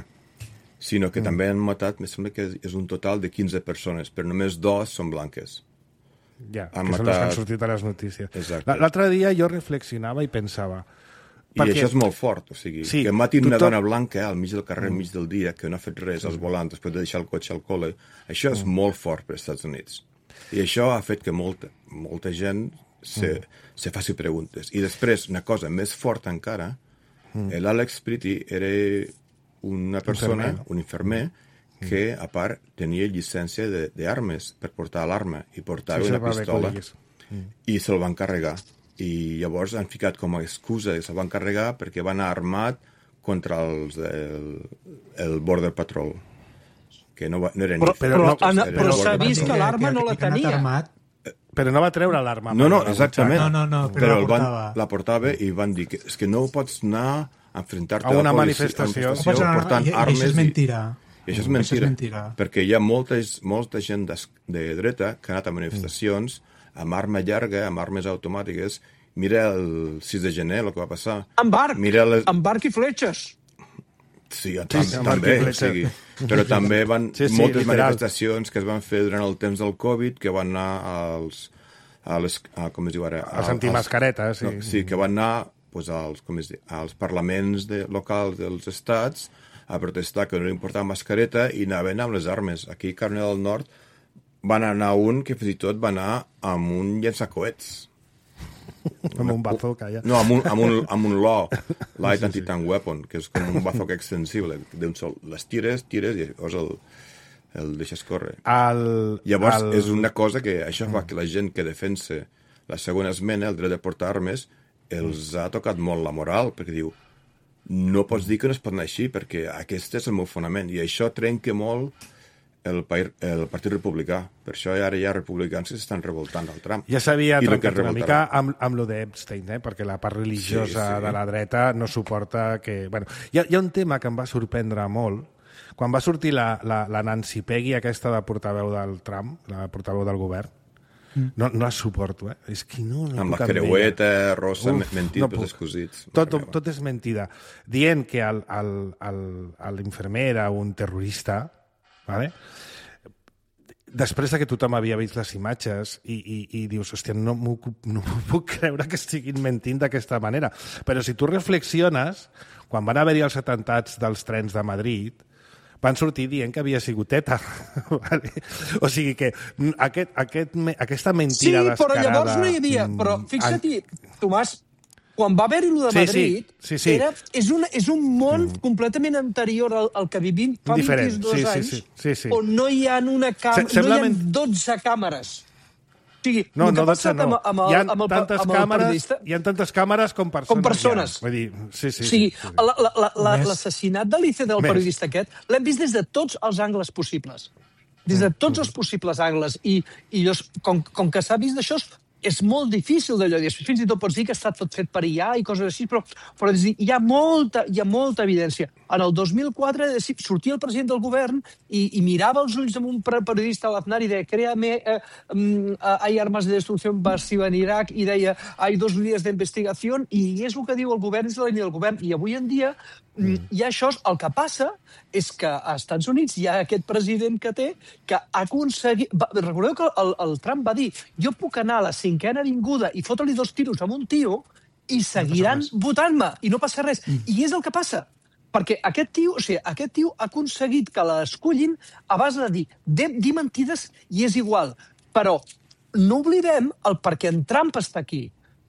sinó que mm. també han matat, em sembla que és un total de quinze persones, però només dos són blanques. Ja, han que matat... són les que han sortit a les notícies. L'altre dia jo reflexionava i pensava... I perquè... això és molt fort, o sigui, sí, que matin tothom... una dona blanca al mig del carrer, al mig del dia, que no ha fet res als volants després de deixar el cotxe al col·le, això és mm. molt fort per als Estats Units. I això ha fet que molta, molta gent se, mm. se faci preguntes. I després, una cosa més forta encara, Mm. l'Alex Pretty era una persona, infermer. un infermer, que a part tenia llicència d'armes per portar l'arma i portava sí, una pistola mm. i se'l van carregar. I llavors han ficat com a excusa que se'l van carregar perquè van anar armat contra els del el Border Patrol. Que no, va, no eren... Però, però, no, però, però s'ha vist que l'arma no la tenia. Armat. Però no va treure l'arma. No, no, exactament. No, no, no, però però la, portava. Van, la portava i van dir que és que no pots anar enfrontar-te a una la policia, manifestació, a una manifestació portant I, i armes. això és mentira. I, i això és mentira, això és mentira. perquè hi ha moltes, molta gent de, de dreta que ha anat a manifestacions amb arma llarga, amb armes automàtiques. Mira el sis de gener, el que va passar. Amb arc, Mira les... amb arc i fletxes. Sí, tam sí, també, o sigui, però també van sí, sí, moltes literal. manifestacions que es van fer durant el temps del Covid, que van anar als, a les, a, com es diu ara? Els antimascaretes, sí. No, sí, que van anar pues, als, com es diu, als parlaments de, locals dels estats a protestar que no era important mascareta i anaven amb les armes. Aquí a Carolina del Nord van anar un que fins i tot va anar amb un llançacoets. Amb un bazooka, ja. No, amb un, amb un, amb un L O, Light Anti-Tank Weapon, que és com un bazooka extensible. D'un sol, les tires, tires i llavors el, el deixes córrer. El, llavors, el... és una cosa que això fa que la gent que defensa la segona esmena, el dret de portar armes, els ha tocat molt la moral, perquè diu, no pots dir que no es pot anar així, perquè aquest és el meu fonament, i això trenca molt el, el Partit Republicà. Per això ara hi ha republicans que s'estan revoltant al Trump. Ja s'havia trencat una mica amb, amb lo d'Epstein, eh? Perquè la part religiosa sí, sí. de la dreta no suporta que... Bueno, hi ha, hi ha un tema que em va sorprendre molt. Quan va sortir la, la, la Nancy Peggy, aquesta de portaveu del Trump, la portaveu del govern, mm. no, no la suporto, eh? És que no, no amb la creueta rosa, Uf, mentit no pels escosits. Tot, tot és mentida. Dient que l'infermer era un terrorista, vale? Després que tothom havia vist les imatges i, i, i dius, hòstia, no m'ho no puc creure que estiguin mentint d'aquesta manera. Però si tu reflexiones, quan van haver-hi els atemptats dels trens de Madrid, van sortir dient que havia sigut ETA. Vale? O sigui que aquest, aquest, aquesta mentida sí, descarada... Sí, però llavors no hi havia... Però fixa't-hi, Tomàs, quan va haver-hi el de Madrid, sí, sí, sí. Era, és, una, és un món mm. completament anterior al, al que vivim fa Diferent. vint-i-dos sí, anys, sí, sí, sí. on no hi ha, una cam... Se, no hi ha dotze càmeres. O sigui, no, no, dotze no. Amb, amb el, hi ha amb el, tantes amb el càmeres, hi ha tantes càmeres com persones. Com persones. Ja. Vull dir, sí, sí. O sigui, sí, sí. l'assassinat de l'I C del Més. periodista aquest l'hem vist des de tots els angles possibles. Des de tots els possibles angles. I, i llavors, com, com que s'ha vist d'això, és molt difícil d'allò. Fins i tot pots dir que està tot fet per I A i coses així, però, però hi, ha molta, hi ha molta evidència. En el dos mil quatre sortia el president del govern i, i mirava els ulls amb un periodista a l'Aznar i deia créame, eh, eh, hay armas de destrucción masiva en Irak, i deia hay dos línies d'investigació, i és el que diu el govern, és la línia del govern. I avui en dia mm. hi ha això. El que passa és que a Estats Units hi ha aquest president que té que ha aconseguit... Recordeu que el, el Trump va dir jo puc anar a la cinquena avinguda i fotre-li dos tiros amb un tio i seguiran no votant-me i no passa res. Mm. I és el que passa. Perquè aquest tio, o sigui, aquest tio ha aconseguit que l'escollin a base de dir, de, dir mentides i és igual. Però no oblidem el perquè en Trump està aquí.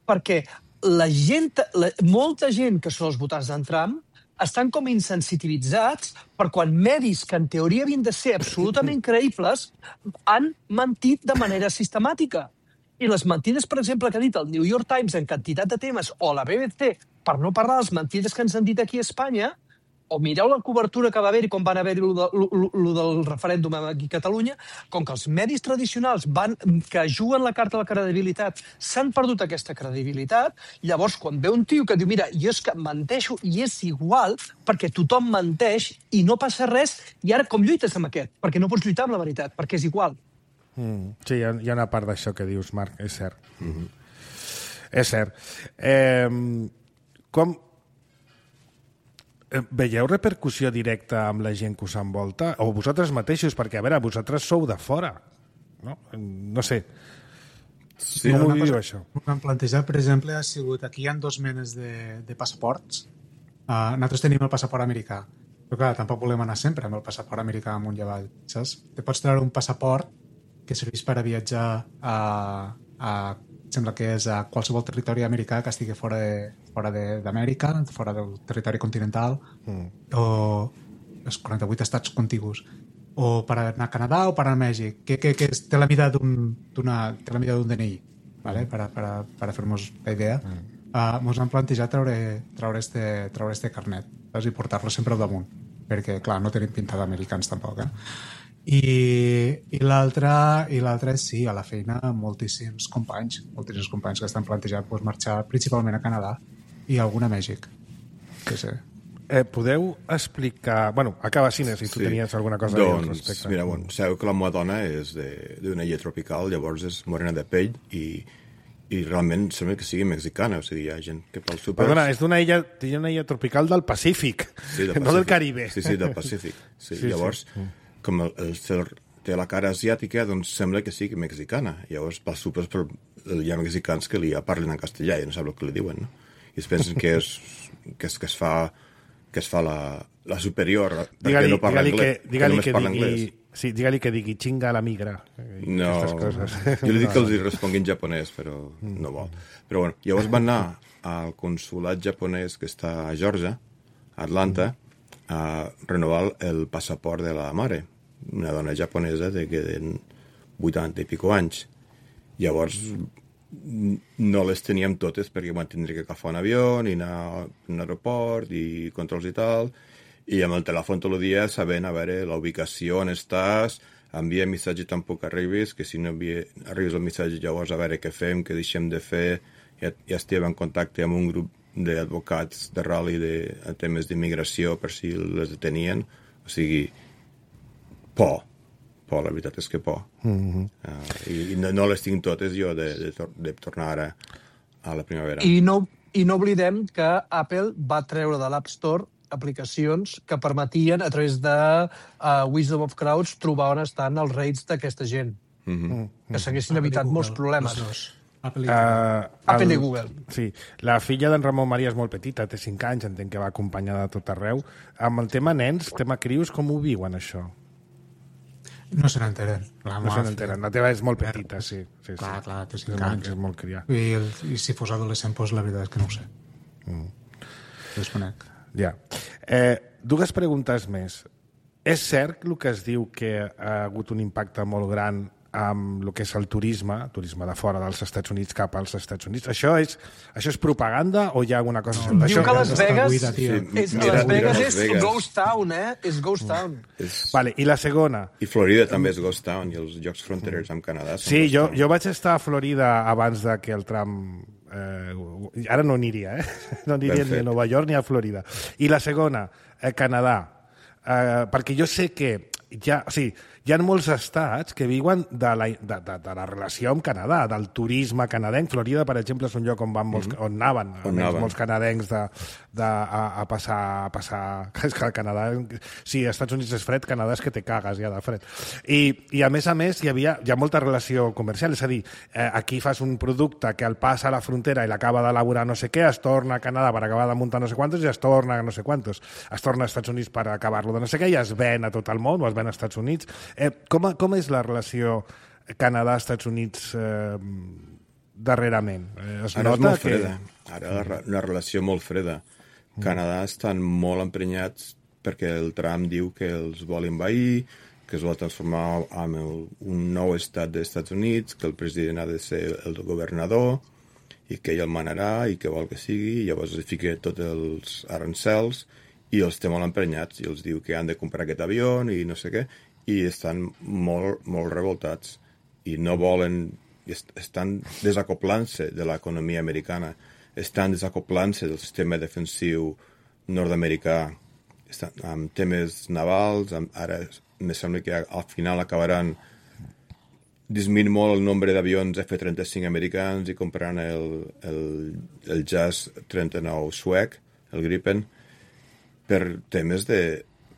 Perquè la gent, la, molta gent que són els votants d'en Trump estan com insensitivitzats per quan medis que en teoria havien de ser absolutament creïbles han mentit de manera sistemàtica. I les mentides, per exemple, que ha dit el New York Times en quantitat de temes, o la B B C, per no parlar de les mentides que ens han dit aquí a Espanya, o mireu la cobertura que va haver-hi quan van haver-hi el de, del referèndum aquí a Catalunya, com que els medis tradicionals van, que juguen la carta de la credibilitat s'han perdut aquesta credibilitat, llavors quan ve un tio que diu mira, jo és que menteixo i és igual perquè tothom menteix i no passa res, i ara com lluites amb aquest? Perquè no pots lluitar amb la veritat, perquè és igual. Mm, sí, hi ha, hi ha una part d'això que dius, Marc, és cert. Mm-hmm. És cert. Eh, com... Veieu repercussió directa amb la gent que us envolta? O vosaltres mateixos? Perquè, a veure, vosaltres sou de fora. No, no sé. Sí, com ho viu, això? El que hem plantejat, per exemple, ha sigut... Aquí hi ha dos menes de, de passaports. Uh, nosaltres tenim el passaport americà. Però, clar, tampoc volem anar sempre amb el passaport americà amunt i avall. Saps? Te pots treure un passaport que serveix per a viatjar a... a sembla que és a qualsevol territori americà que estigui fora de, fora d'Amèrica, fora del territori continental, mm. o els quaranta-vuit estats contigus, o per anar a Canadà o per anar a Mèxic, que, que, que té la mida d'un té la mida d'un D N I, ¿vale? per, a, per, a, per a fer-nos la idea. Mm. Uh, mos han plantejat treure, treure, este, treure este carnet, saps? I portar-lo sempre al damunt, perquè, clar, no tenim pinta d'americans tampoc, eh? I, i l'altre i l'altre és, sí, a la feina moltíssims companys, moltíssims companys que estan plantejant pues, marxar principalment a Canadà i algun a Mèxic. Sí, sí. Eh, podeu explicar... Bueno, acaba Cine, si tu sí. tenies alguna cosa doncs, a dir al respecte. Mira, bueno, sabeu que la meva dona és d'una illa tropical, llavors és morena de pell i, i realment sembla que sigui mexicana, o sigui, hi ha gent que pel súper... Perdona, és d'una illa, d'una illa tropical del Pacífic, sí, del Pacífic. No del Caribe. Sí, sí, del Pacífic. Sí, sí, llavors, sí. com el, el, el, té la cara asiàtica, doncs sembla que sigui mexicana. Llavors, pels súpers hi ha mexicans que li parlen en castellà i no sap el que li diuen, no? I es pensen que és, que es, que es fa... que es fa la, la superior, perquè no parla anglès. Que, digue-li que, que digui... Sí, digue-li que digui xinga la migra. No, jo li dic que els hi respongui en japonès, però no vol. Però bueno, llavors van anar al consulat japonès que està a Georgia, a Atlanta, a renovar el passaport de la mare, una dona japonesa de que de vuitanta i pico anys. Llavors no les teníem totes perquè vam tindre que agafar un avió i anar a un aeroport i controls i tal, i amb el telèfon tot el dia sabent a veure la ubicació on estàs, envia missatge tampoc arribis, que si no envia, arribes el missatge llavors a veure què fem, què deixem de fer. Ja, ja estem en contacte amb un grup d'advocats de Raleigh de, de temes d'immigració per si les detenien, o sigui, por. por, la veritat és que por. Mm-hmm. uh, I i no, no les tinc totes jo de, de, de tornar ara a la primavera. I no, I no oblidem que Apple va treure de l'App Store aplicacions que permetien, a través de uh, Wisdom of Crowds, trobar on estan els rates d'aquesta gent. Mm-hmm. Que s'haguessin evitat molts problemes. Apple i, uh, Apple el, i Google. Sí. La filla d'en Ramon Maria és molt petita, té cinc anys, entenc que va acompanyada de tot arreu. Amb el tema nens, tema crius, com ho viuen, això? No se n'enteren. No se n'enteren. La teva és molt petita, sí. sí clar, sí. clar, té cinc anys. És molt crià. I, el, I si fos adolescent, doncs la veritat és que no ho sé. Mm. Desconec. Ja. Eh, dues preguntes més. És cert el que es diu que ha hagut un impacte molt gran amb el que és el turisme, turisme de fora dels Estats Units cap als Estats Units? Això és, això és propaganda o hi ha alguna cosa? No, diu que Las Vegas, buida, sí, és, mira, Las Vegas és Vegas. Ghost Town, eh? És Ghost Town. És... Vale, i la segona? I Florida també és Ghost Town, i els jocs fronterers amb Canadà són Sí, jo, Town. jo vaig estar a Florida abans de que el Trump... Eh, ara no aniria, eh? No aniria ni a Nova York ni a Florida. I la segona, eh, Canadà. Eh, perquè jo sé que ja, o sigui, hi ha molts estats que viuen de la, de, de, de la relació amb Canadà, del turisme canadenc. Florida, per exemple, és un lloc on, van molts, mm-hmm. on anaven, on anaven molts canadencs de, de, a, a, passar, a passar... És que el Canadà... Sí, als Estats Units és fred, Canadà és que te cagues ja de fred. I, i a més a més, hi havia hi ha molta relació comercial, és a dir, eh, aquí fas un producte que el passa a la frontera i l'acaba d'elaborar no sé què, es torna a Canadà per acabar de muntar no sé quantos i es torna a no sé quantos. Es torna als Estats Units per acabar-lo de no sé què i es ven a tot el món o es ven als Estats Units. Eh, com, com és la relació Canadà-Estats Units eh, darrerament? Eh, es Ara nota és molt que... freda. Ara la, una relació molt freda. Mm. Canadà estan molt emprenyats perquè el Trump diu que els vol envair, que es vol transformar en el, un nou estat dels Estats Units, que el president ha de ser el governador i que ell el manarà i que vol que sigui, i llavors es fica tots els arancels i els té molt emprenyats i els diu que han de comprar aquest avió i no sé què, i estan molt, molt revoltats i no volen, estan desacoplant-se de l'economia americana, estan desacoplant-se del sistema defensiu nord-americà, estan amb temes navals, amb, ara me sembla que al final acabaran disminuint molt el nombre d'avions F trenta-cinc americans i compraran el, el, el Jazz trenta-nou suec, el Gripen, per temes de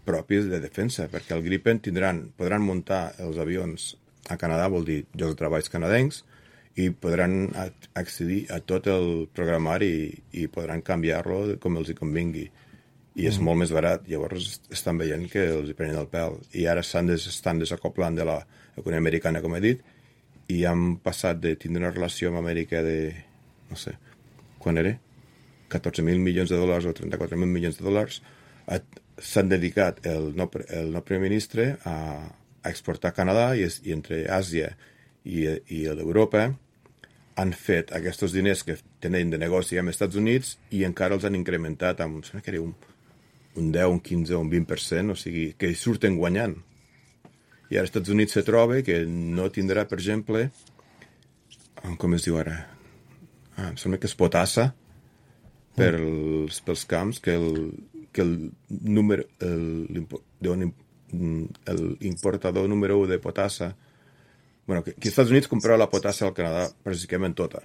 propis de defensa, perquè el Gripen tindran, podran muntar els avions a Canadà, vol dir llocs de treballs canadencs, i podran accedir a tot el programari i, i podran canviar-lo com els hi convingui. I és mm. molt més barat. Llavors estan veient que els hi prenen el pèl. I ara estan, des, estan desacoplant de l'economia americana, com he dit, i han passat de tindre una relació amb Amèrica de, no sé, quan era? catorze mil milions de dòlars o trenta-quatre mil milions de dòlars. S'han dedicat el nou, el nou primer ministre a, a exportar a Canadà i, i entre Àsia i, i l'Europa han fet aquests diners que tenen de negoci amb els Estats Units i encara els han incrementat amb, sembla que era un, un deu, un quinze o un vint per cent, o sigui, que surten guanyant. I ara als Estats Units se troba que no tindrà, per exemple, com es diu ara? Ah, em sembla que és potassa, per els, pels camps que el, que el número el, el importador número u de potassa, bueno, que, que als Estats Units comprava la potassa al Canadà pràcticament tota,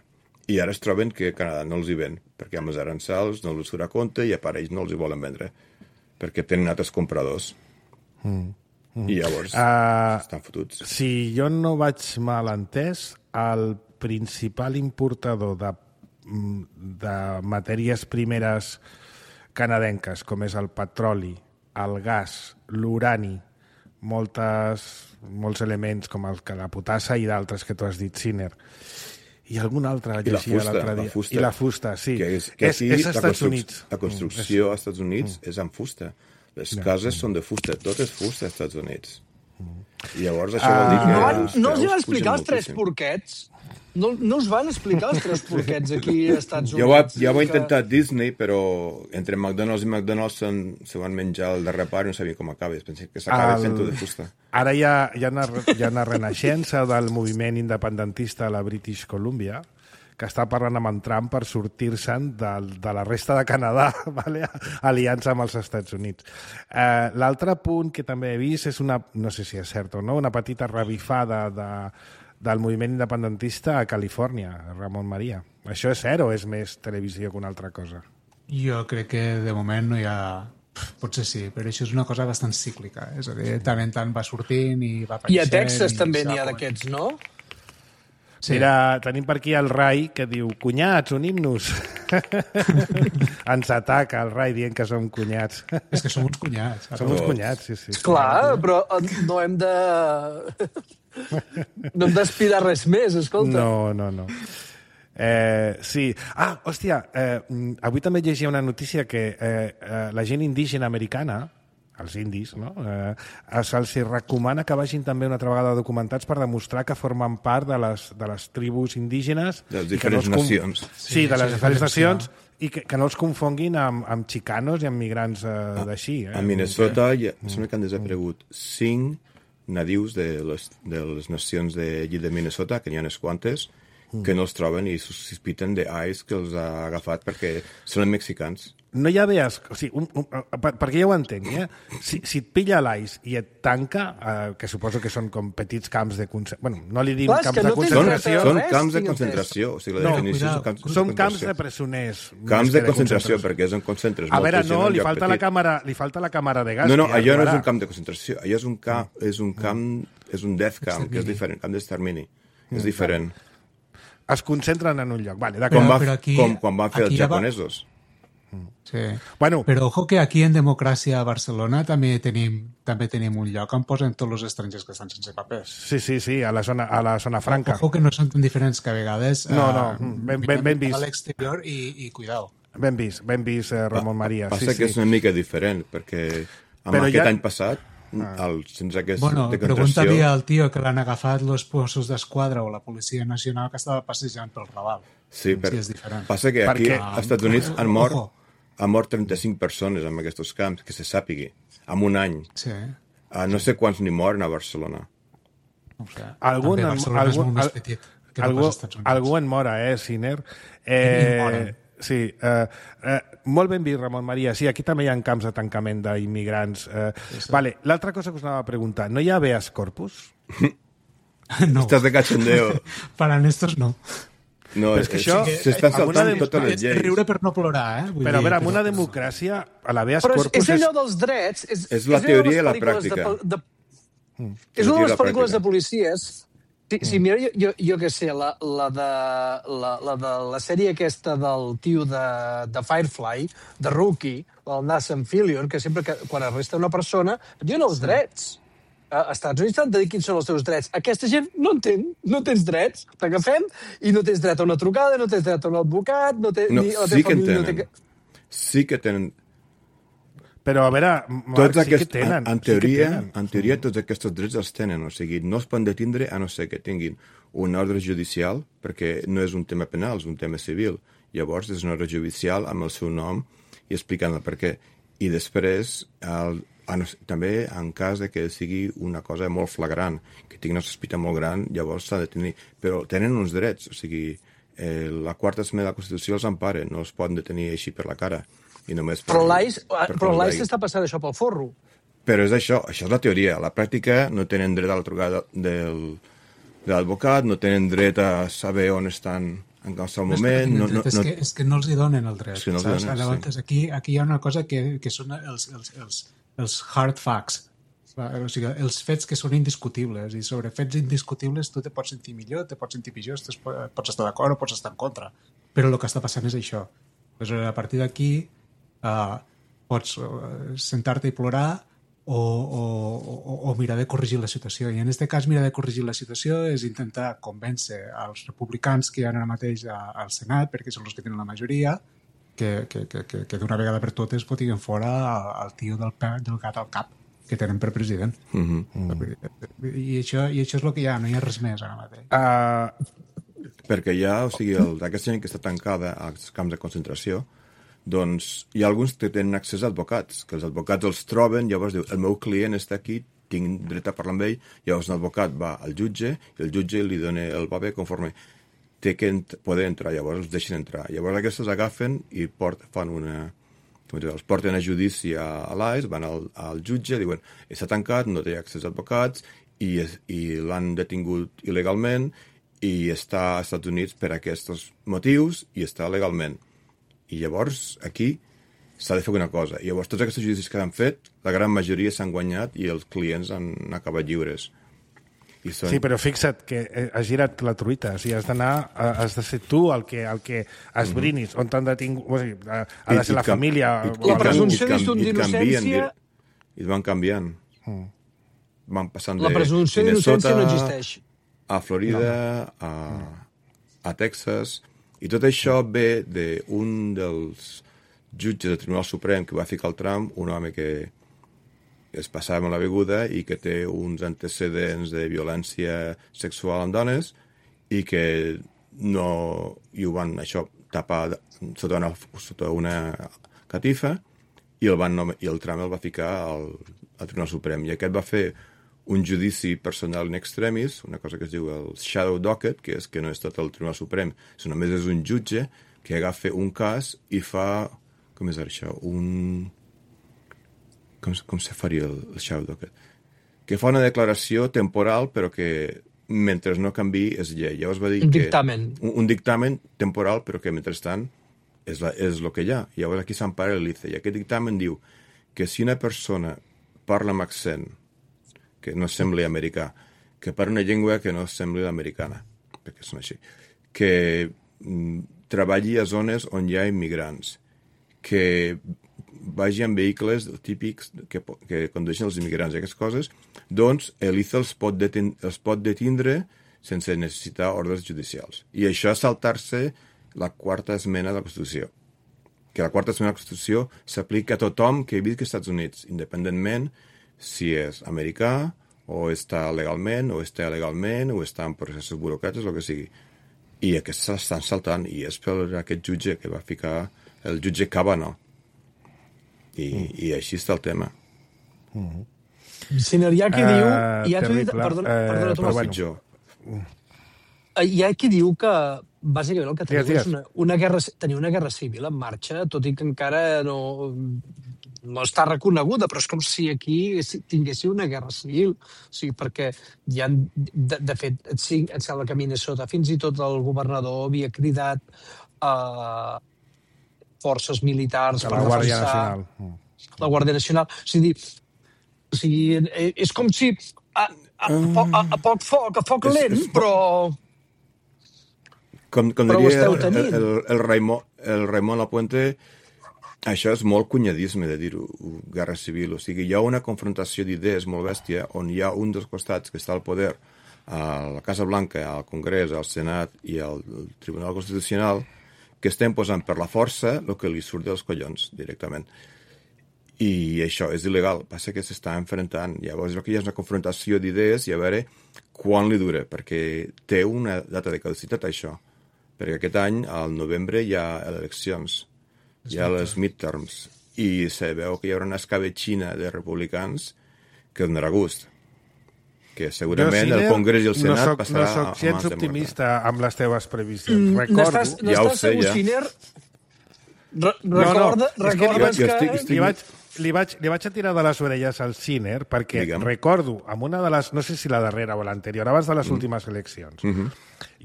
i ara es troben que Canadà no els hi ven, perquè amb els arançals no els surt a compte i a part ells no els hi volen vendre, perquè tenen altres compradors. Mm. Mm. I llavors uh, estan fotuts. Si jo no vaig mal entès, el principal importador de, de matèries primeres canadenques, com és el petroli, el gas, l'urani, moltes, molts elements com el, la potassa i d'altres que tu has dit, Siner, i algun altre I la fusta, la fusta, I la fusta, sí. Que és, que és, és als Estats Units. La construcció als Estats Units mm. és amb fusta. Les no. cases són de fusta, tot és fusta als Estats Units. Mm. I llavors això vol dir que... No, van, no els van explicar els tres porquets? No, no us van explicar els tres porquets aquí als Estats Units? Ja ho ha, ja ho ha intentat que... Disney, però entre McDonald's i McDonald's se, se van menjar el darrer part i no sabia com acaba. Pensé que s'acaba el... fent de fusta. Ara hi ha, hi, ha una, hi ha una renaixença del moviment independentista a la British Columbia, que està parlant amb en Trump per sortir-se'n de, de la resta de Canadà, vale? Aliança amb els Estats Units. Eh, L'altre punt que també he vist és una, no sé si és cert o no, una petita revifada de, del moviment independentista a Califòrnia, Ramon Maria. Això és cert o és més televisió que una altra cosa? Jo crec que de moment no hi ha... Potser sí, però això és una cosa bastant cíclica. És a dir, tant en tant va sortint i va apareixent... I a Texas també n'hi ha d'aquests, no? Sí. Mira, tenim per aquí el Rai que diu, cunyats, unim-nos. Ens ataca el Rai dient que som cunyats. És que som uns cunyats. Som uns cunyats, sí, sí. Clar, però no hem de... no hem d'aspirar res més, escolta. No, no, no. Eh, sí. Ah, hòstia, eh, avui també llegia una notícia que eh, eh, la gent indígena americana, els indis, no? Eh, se'ls recomana que vagin també una altra vegada documentats per demostrar que formen part de les, de les tribus indígenes. De les diferents no nacions. Sí, sí, de les diferents nacions, i que, que no els confonguin amb, amb xicanos i amb migrants eh, ah, d'així. Eh? A Minnesota hi ha, sembla que han desaparegut cinc nadius de les, de les nacions d'allí de Minnesota, que n'hi ha unes quantes, que no els troben i sospiten d'Ice que els ha agafat perquè són mexicans. No hi ha vees... O sigui, un, un, per, perquè ja ho entenc, eh? Si, si et pilla l'Ice i et tanca, eh, que suposo que són com petits camps de concentració... Bueno, no li dic Clar, camps de concentració... Són, són camps de concentració. O sigui, la no, definició és camps de són camps de presoners. Camps de concentració, perquè és on concentres a veure, molta no, gent li falta, la càmera, li falta la càmera de gas. No, no, allò no és un camp de concentració. Allò és un camp, és un camp, és un death camp, que és diferent, camp d'extermini. És diferent. Es concentren en un lloc. Vale, com, va, aquí, com quan van fer els japonesos. Va... Sí. Bueno, però ojo que aquí en Democràcia a Barcelona també tenim, també tenim un lloc on posen tots els estrangers que estan sense papers. Sí, sí, sí, a la zona, a la zona franca. Ojo que no són tan diferents que a vegades... No, no, uh, ben, ben, ben vist. A l'exterior i, i cuidao. Ben vist, ben vist, eh, Ramon Maria. Passa sí, que sí. és una mica diferent, perquè amb però aquest ja... any passat, ah. el, sense aquest bueno, de pregunta-li al tio que l'han agafat els Mossos d'Esquadra o la Policia Nacional que estava passejant pel Raval. Sí, per... sí és diferent. Passa que aquí perquè... als Estats Units han mort... Ojo. Han mort trenta-cinc persones en aquests camps, que se sàpigui, en un any. Sí. Uh, no sé quants n'hi moren a Barcelona. No sé. Algun, Barcelona algun, és molt més petit que algú, no pas als Estats Units. Algú en mora, eh, Siner? Eh, sí. Eh, eh, molt ben vist, Ramon Maria. Sí, aquí també hi ha camps de tancament d'immigrants. Eh, sí, sí. Vale, l'altra cosa que us anava a preguntar, no hi ha habeas corpus? No. Estàs de cachondeo. Para estos no. No, però és que això... S'estan saltant de... totes les lleis. Riure per no plorar, eh? Vull però, dir, a veure, amb una democràcia, a l'habeas però corpus... Però és allò dels drets... És, és la és teoria i la pràctica. De, de, mm. És una de les pel·lícules de policies... Sí, sí, mira, jo, jo, jo què sé, la, la, de, la, la de la sèrie aquesta del tio de, de Firefly, de Rookie, el Nathan Fillion, que sempre que quan arresta una persona, diuen els drets. Als Estats Units t'han de dir quins són els teus drets. Aquesta gent no entén, no tens drets. T'agafem i no tens dret a una trucada, no tens dret a un advocat, no tens... No, ni la sí que en família, tenen. No té... Sí que tenen. Però, a veure, Marc, tots sí aquest, que tenen. En, en, teoria, sí que tenen. en teoria, tots aquests drets els tenen. O sigui, no es poden detindre a no ser que tinguin un ordre judicial, perquè no és un tema penal, és un tema civil. Llavors, és un ordre judicial amb el seu nom i explicant el per què. I després... El, també en cas de que sigui una cosa molt flagrant, que tingui una sospita molt gran, llavors s'ha de tenir... Però tenen uns drets, o sigui, eh, la quarta esmena de la Constitució els empara, no els poden detenir així per la cara. I només per, però l'A I S per però l'A I S s'està passant això pel forro. Però és això, això és la teoria. A la pràctica no tenen dret a la trucada del, de l'advocat, no tenen dret a saber on estan en qualsevol moment. No, no, és, no... Que, és que no els hi donen el dret. Sí, no els donen, Llavors, sí. aquí, aquí hi ha una cosa que, que són els, els, els, els hard facts. O sigui, els fets que són indiscutibles, i sobre fets indiscutibles tu te pots sentir millor, te pots sentir pitjor, te pots estar d'acord o pots estar en contra, però el que està passant és això. Aleshores, a partir d'aquí uh, pots uh, sentar-te i plorar o, o, o, o mirar de corregir la situació, i en aquest cas mirar de corregir la situació és intentar convèncer als republicans que hi ha ara mateix a, al Senat, perquè són els que tenen la majoria, que, que, que, que, que d'una vegada per totes fotiguen fora el tio del, del gat al cap que tenen per president. Mm-hmm. Mm. I, això, I això és el que hi ha, no hi ha res més ara mateix. Uh... Perquè hi ha, o sigui, el, aquesta gent que està tancada als camps de concentració, doncs hi ha alguns que tenen accés a advocats, que els advocats els troben, llavors diu, el meu client està aquí, tinc dret a parlar amb ell, llavors un advocat va al jutge, i el jutge li dona el paper conforme té que ent poder entrar, llavors els deixen entrar. Llavors aquests agafen i port, fan una... Com dir, els porten a judici a, a l'A I S, van al, al jutge, diuen, està tancat, no té accés a advocats, i, i l'han detingut il·legalment, i està als Estats Units per aquests motius, i està legalment. I llavors, aquí, s'ha de fer una cosa. I llavors, tots aquests judicis que han fet, la gran majoria s'han guanyat i els clients han acabat lliures. I són... Sí, però fixa't que has girat la truita. O sigui, has d'anar, has de ser tu el que, el que esbrinis, mm-hmm. on t'han detingut... O sigui, ha de ser la can... família... I, i, la presumpció d'innocència... I van canviant. Mm. Van passant la de presumpció d'innocència no existeix. A Florida, no. a, a Texas... I tot això ve d'un dels jutges del Tribunal Suprem que va ficar el Trump, un home que es passava amb la beguda i que té uns antecedents de violència sexual amb dones i que no i ho van això tapar sota una, sota una catifa i el, van, i el Trump el va ficar al, al Tribunal Suprem. I aquest va fer un judici personal in extremis, una cosa que es diu el shadow docket, que és que no és tot el Tribunal Suprem, sinó només és un jutge que agafa un cas i fa... Com és això? Un... Com, com se faria el, el shadow docket? Que fa una declaració temporal, però que mentre no canvi és llei. Llavors va dir un que... dictamen. Un, un dictamen temporal, però que mentrestant és, la, és el que hi ha. Llavors aquí s'empara l'I C E. I aquest dictamen diu que si una persona parla amb accent que no sembli americà, que parla una llengua que no sembli l'americana, perquè són així, que mm, treballi a zones on hi ha immigrants, que vagi en vehicles típics que, que condueixen els immigrants i aquestes coses, doncs l'I C E els pot, deten els pot detindre sense necessitar ordres judicials. I això és saltar-se la quarta esmena de la Constitució. Que la quarta esmena de la Constitució s'aplica a tothom que visqui als Estats Units, independentment si és americà, o està legalment, o està il·legalment, o està en processos burocràtics, el que sigui. I aquests s'estan saltant, i és per aquest jutge que va ficar, el jutge Kavanaugh. I, mm. i així està el tema. Mm. Sinner, hi ha qui uh, diu... Hi ha, terrible. Qui, perdona, uh, perdona, però bueno. Hi ha qui diu que, bàsicament, el que tenim digues, és una, una guerra, tenir una guerra civil en marxa, tot i que encara no... no està reconeguda, però és com si aquí tinguéssim una guerra civil. O sigui, perquè hi ha, de, de fet, sí, em sembla que a Minnesota fins i tot el governador havia cridat a uh, forces militars a per la Guàrdia defensar Nacional. La Guàrdia Nacional. O sigui, o sigui és com si a, a, a, a, a poc foc, a foc lent, però... Com, com però diria el, el, el, el, Raimon, el Raimon Lapuente, això és molt cunyadisme de dir-ho, guerra civil. O sigui, hi ha una confrontació d'idees molt bèstia on hi ha un dels costats que està al poder, a la Casa Blanca, al Congrés, al Senat i al Tribunal Constitucional, que estem posant per la força el que li surt dels collons, directament. I això és il·legal. Passa que s'està enfrontant. Llavors, jo que hi ha una confrontació d'idees i a veure quan li dura, perquè té una data de caducitat, això. Perquè aquest any, al novembre, hi ha eleccions. Hi ha les midterms, i se veu que hi haurà una escabetxina de republicans que donarà gust. que segurament el Congrés i el Senat no soc, passarà no soc gens optimista amb les teves previsions. Mm, Recordo... N'estàs, no ja ho estàs sé, segur, ja. Siner? Re No, no, recorda, és que recordes jo que... estic- estic- Li vaig, li, vaig, li vaig a tirar de les orelles al Siner perquè Digue'm. recordo, amb una de les, no sé si la darrera o l'anterior, abans de les mm. últimes eleccions, mm -hmm.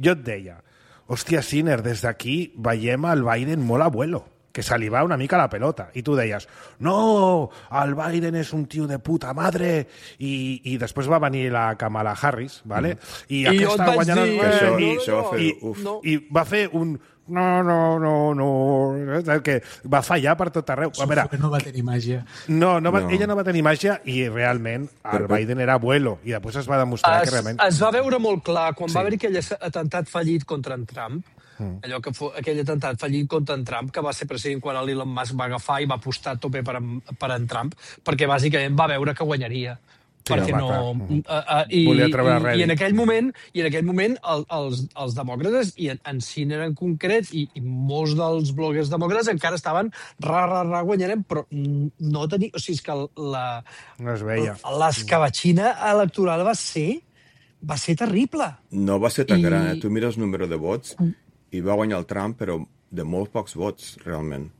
jo et deia, hòstia, Siner, des d'aquí veiem el Biden molt abuelo, que se li va una mica la pelota. I tu deies, no, el Biden és un tio de puta madre, i, i després va venir la Kamala Harris, ¿vale? Mm. I, I aquesta jo et vaig guanyant dir, el això, i, això va fer, i, uf. no. i va fer un no, no, no, no, que va fallar per tot arreu. A veure, no va tenir màgia. no, no va, No. ella no va tenir màgia i realment el Però- Biden era abuelo i després es va demostrar Es, que realment... es va veure molt clar quan Sí. va haver aquell atemptat fallit contra en Trump, mm. allò que fos, aquell atemptat fallit contra en Trump, que va ser president quan l'Elon Musk va agafar i va apostar a tope per en, per en Trump, perquè bàsicament va veure que guanyaria. Sí, perquè home, no... clar. Uh, uh, i, Volia treure i, rèdit. I en aquell moment, i en aquell moment el, els, els demòcrates, i en, en Siner en concret, i, i molts dels bloguers demòcrates encara estaven ra, ra, ra, guanyarem, però no tenia... O sigui, és que la, No es veia. l'escabatxina electoral va ser va ser terrible. No va ser tan I- gran, eh? Tu mires el número de vots i va guanyar el Trump, però de molt pocs vots, realment.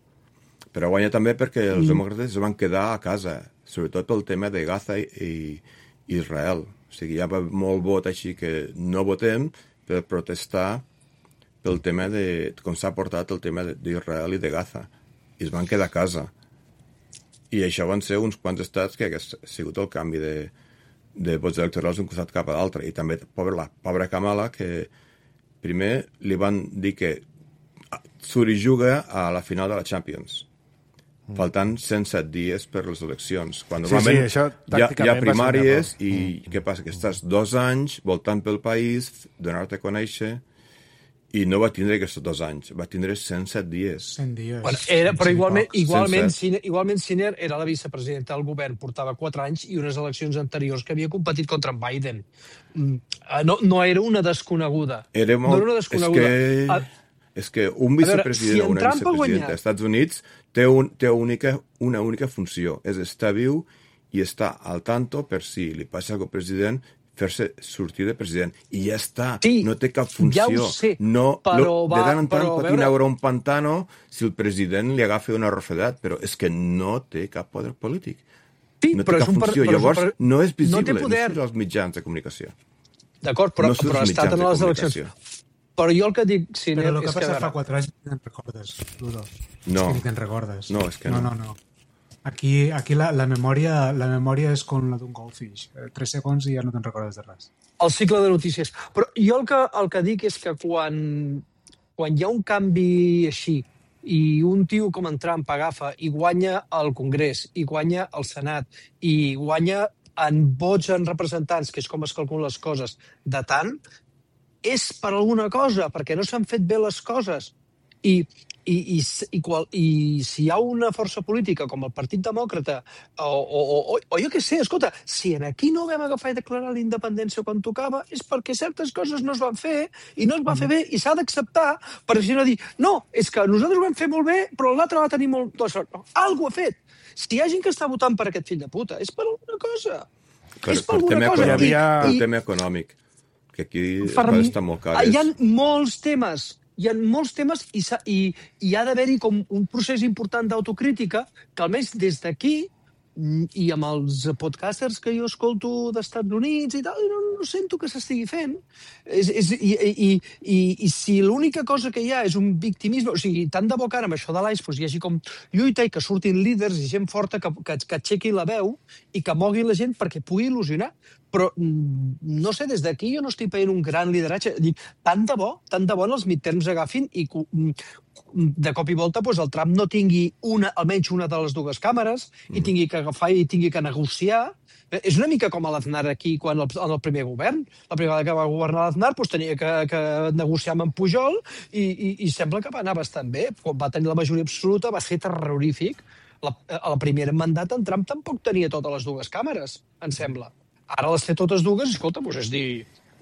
Però guanya també perquè els demòcrates es van quedar a casa, sobretot pel tema de Gaza i, i Israel. O sigui, hi ha molt vot així que no votem per protestar pel tema de com s'ha portat el tema d'Israel i de Gaza. I es van quedar a casa. I això van ser uns quants estats que ha sigut el canvi de, de vots electorals d'un costat cap a l'altre. I també pobra, la pobra Kamala, que primer li van dir que surt i juga a la final de la Champions, faltant cent set dies per les eleccions. Quan Sí, normalment sí, això hi, ha, hi tàcticament ha va ser un primàries error. i què passa? Que estàs dos anys voltant pel país, donar-te a conèixer, i no va tindre aquests dos anys, va tindre cent set dies. cent dies. Bueno, era, però Sí, igualment, pocs. igualment, Sense- Siner, igualment Siner era la vicepresidenta del govern, portava quatre anys i unes eleccions anteriors que havia competit contra en Biden. Mm, No, no era una desconeguda. Era molt... No era una desconeguda. És que, Ah, és que un veure, vicepresident si o en una Trump ha vicepresidenta guanyat- als Estats Units té, un, té única, una única funció, és estar viu i estar al tanto per si li passa alguna cosa al president, fer-se sortir de president. I ja està, Sí, no té cap ja funció. ho sé, no, però no, va- de tant en tant però, a patina veure- veure un pantano si el president li agafa una refredat, però és que no té cap poder polític. sí, No té però cap és un per- funció. però és un Llavors, per- no és visible, no té poder. no surt als mitjans de comunicació. D'acord, però, no surt però ha als estat mitjans en de les eleccions. comunicació. Però jo el que dic, Siner, Però el que és passa que... a fa veure, quatre anys ni te'n recordes, Ludo. No. És que ni te'n recordes. No, és que no. no. No, no, Aquí, aquí la, la, memòria, la memòria és com la d'un goldfish. Eh, Tres segons i ja no te'n recordes de res. el cicle de notícies. Però jo el que, el que dic és que quan, quan hi ha un canvi així i un tio com en Trump agafa i guanya el Congrés, i guanya el Senat, i guanya en vots en representants, que és com es calculen les coses, de tant, és per alguna cosa, perquè no s'han fet bé les coses. I, i, i, i, qual, i si hi ha una força política com el Partit Demòcrata o, o, o, o jo què sé, escolta, si en aquí no vam agafar i declarar la independència quan tocava és perquè certes coses no es van fer i no es va fer bé i s'ha d'acceptar, per si no dir no, és que nosaltres ho vam fer molt bé però l'altre va tenir molt... No, algú ha fet. Si hi ha gent que està votant per aquest fill de puta és per alguna cosa. Per, és per per alguna tema cosa. econòmic, I- per i- tema econòmic, que aquí les Per coses mi- estan molt cares. Hi ha molts temes, hi ha molts temes i, s'ha- i, i ha d'haver-hi com un procés important d'autocrítica que almenys des d'aquí mm, i amb els podcasters que jo escolto d'Estats Units i tal, no, no sento que s'estigui fent. És, és, i, i, i, I si l'única cosa que hi ha és un victimisme, o sigui, tant de bo que ara amb això de l'A I S doncs, hi hagi com lluita i que surtin líders i gent forta que, que, que aixequi la veu i que mogui la gent perquè pugui il·lusionar. Però, mm, no sé, des d'aquí jo no estic veient un gran lideratge. Dic, tant de bo, tant de bo en els midterms agafin i que, mm, de cop i volta doncs, el Trump no tingui una, almenys una de les dues càmeres i tingui que agafar i tingui que negociar. És una mica com a l'Aznar aquí quan el, en el primer govern. La primera vegada que va governar l'Aznar doncs, tenia que, que negociar amb en Pujol i, i, i sembla que va anar bastant bé. Quan va tenir la majoria absoluta va ser terrorífic. La, el primer mandat en Trump tampoc tenia totes les dues càmeres, em sembla. Ara les té totes dues, escolta, doncs és dir,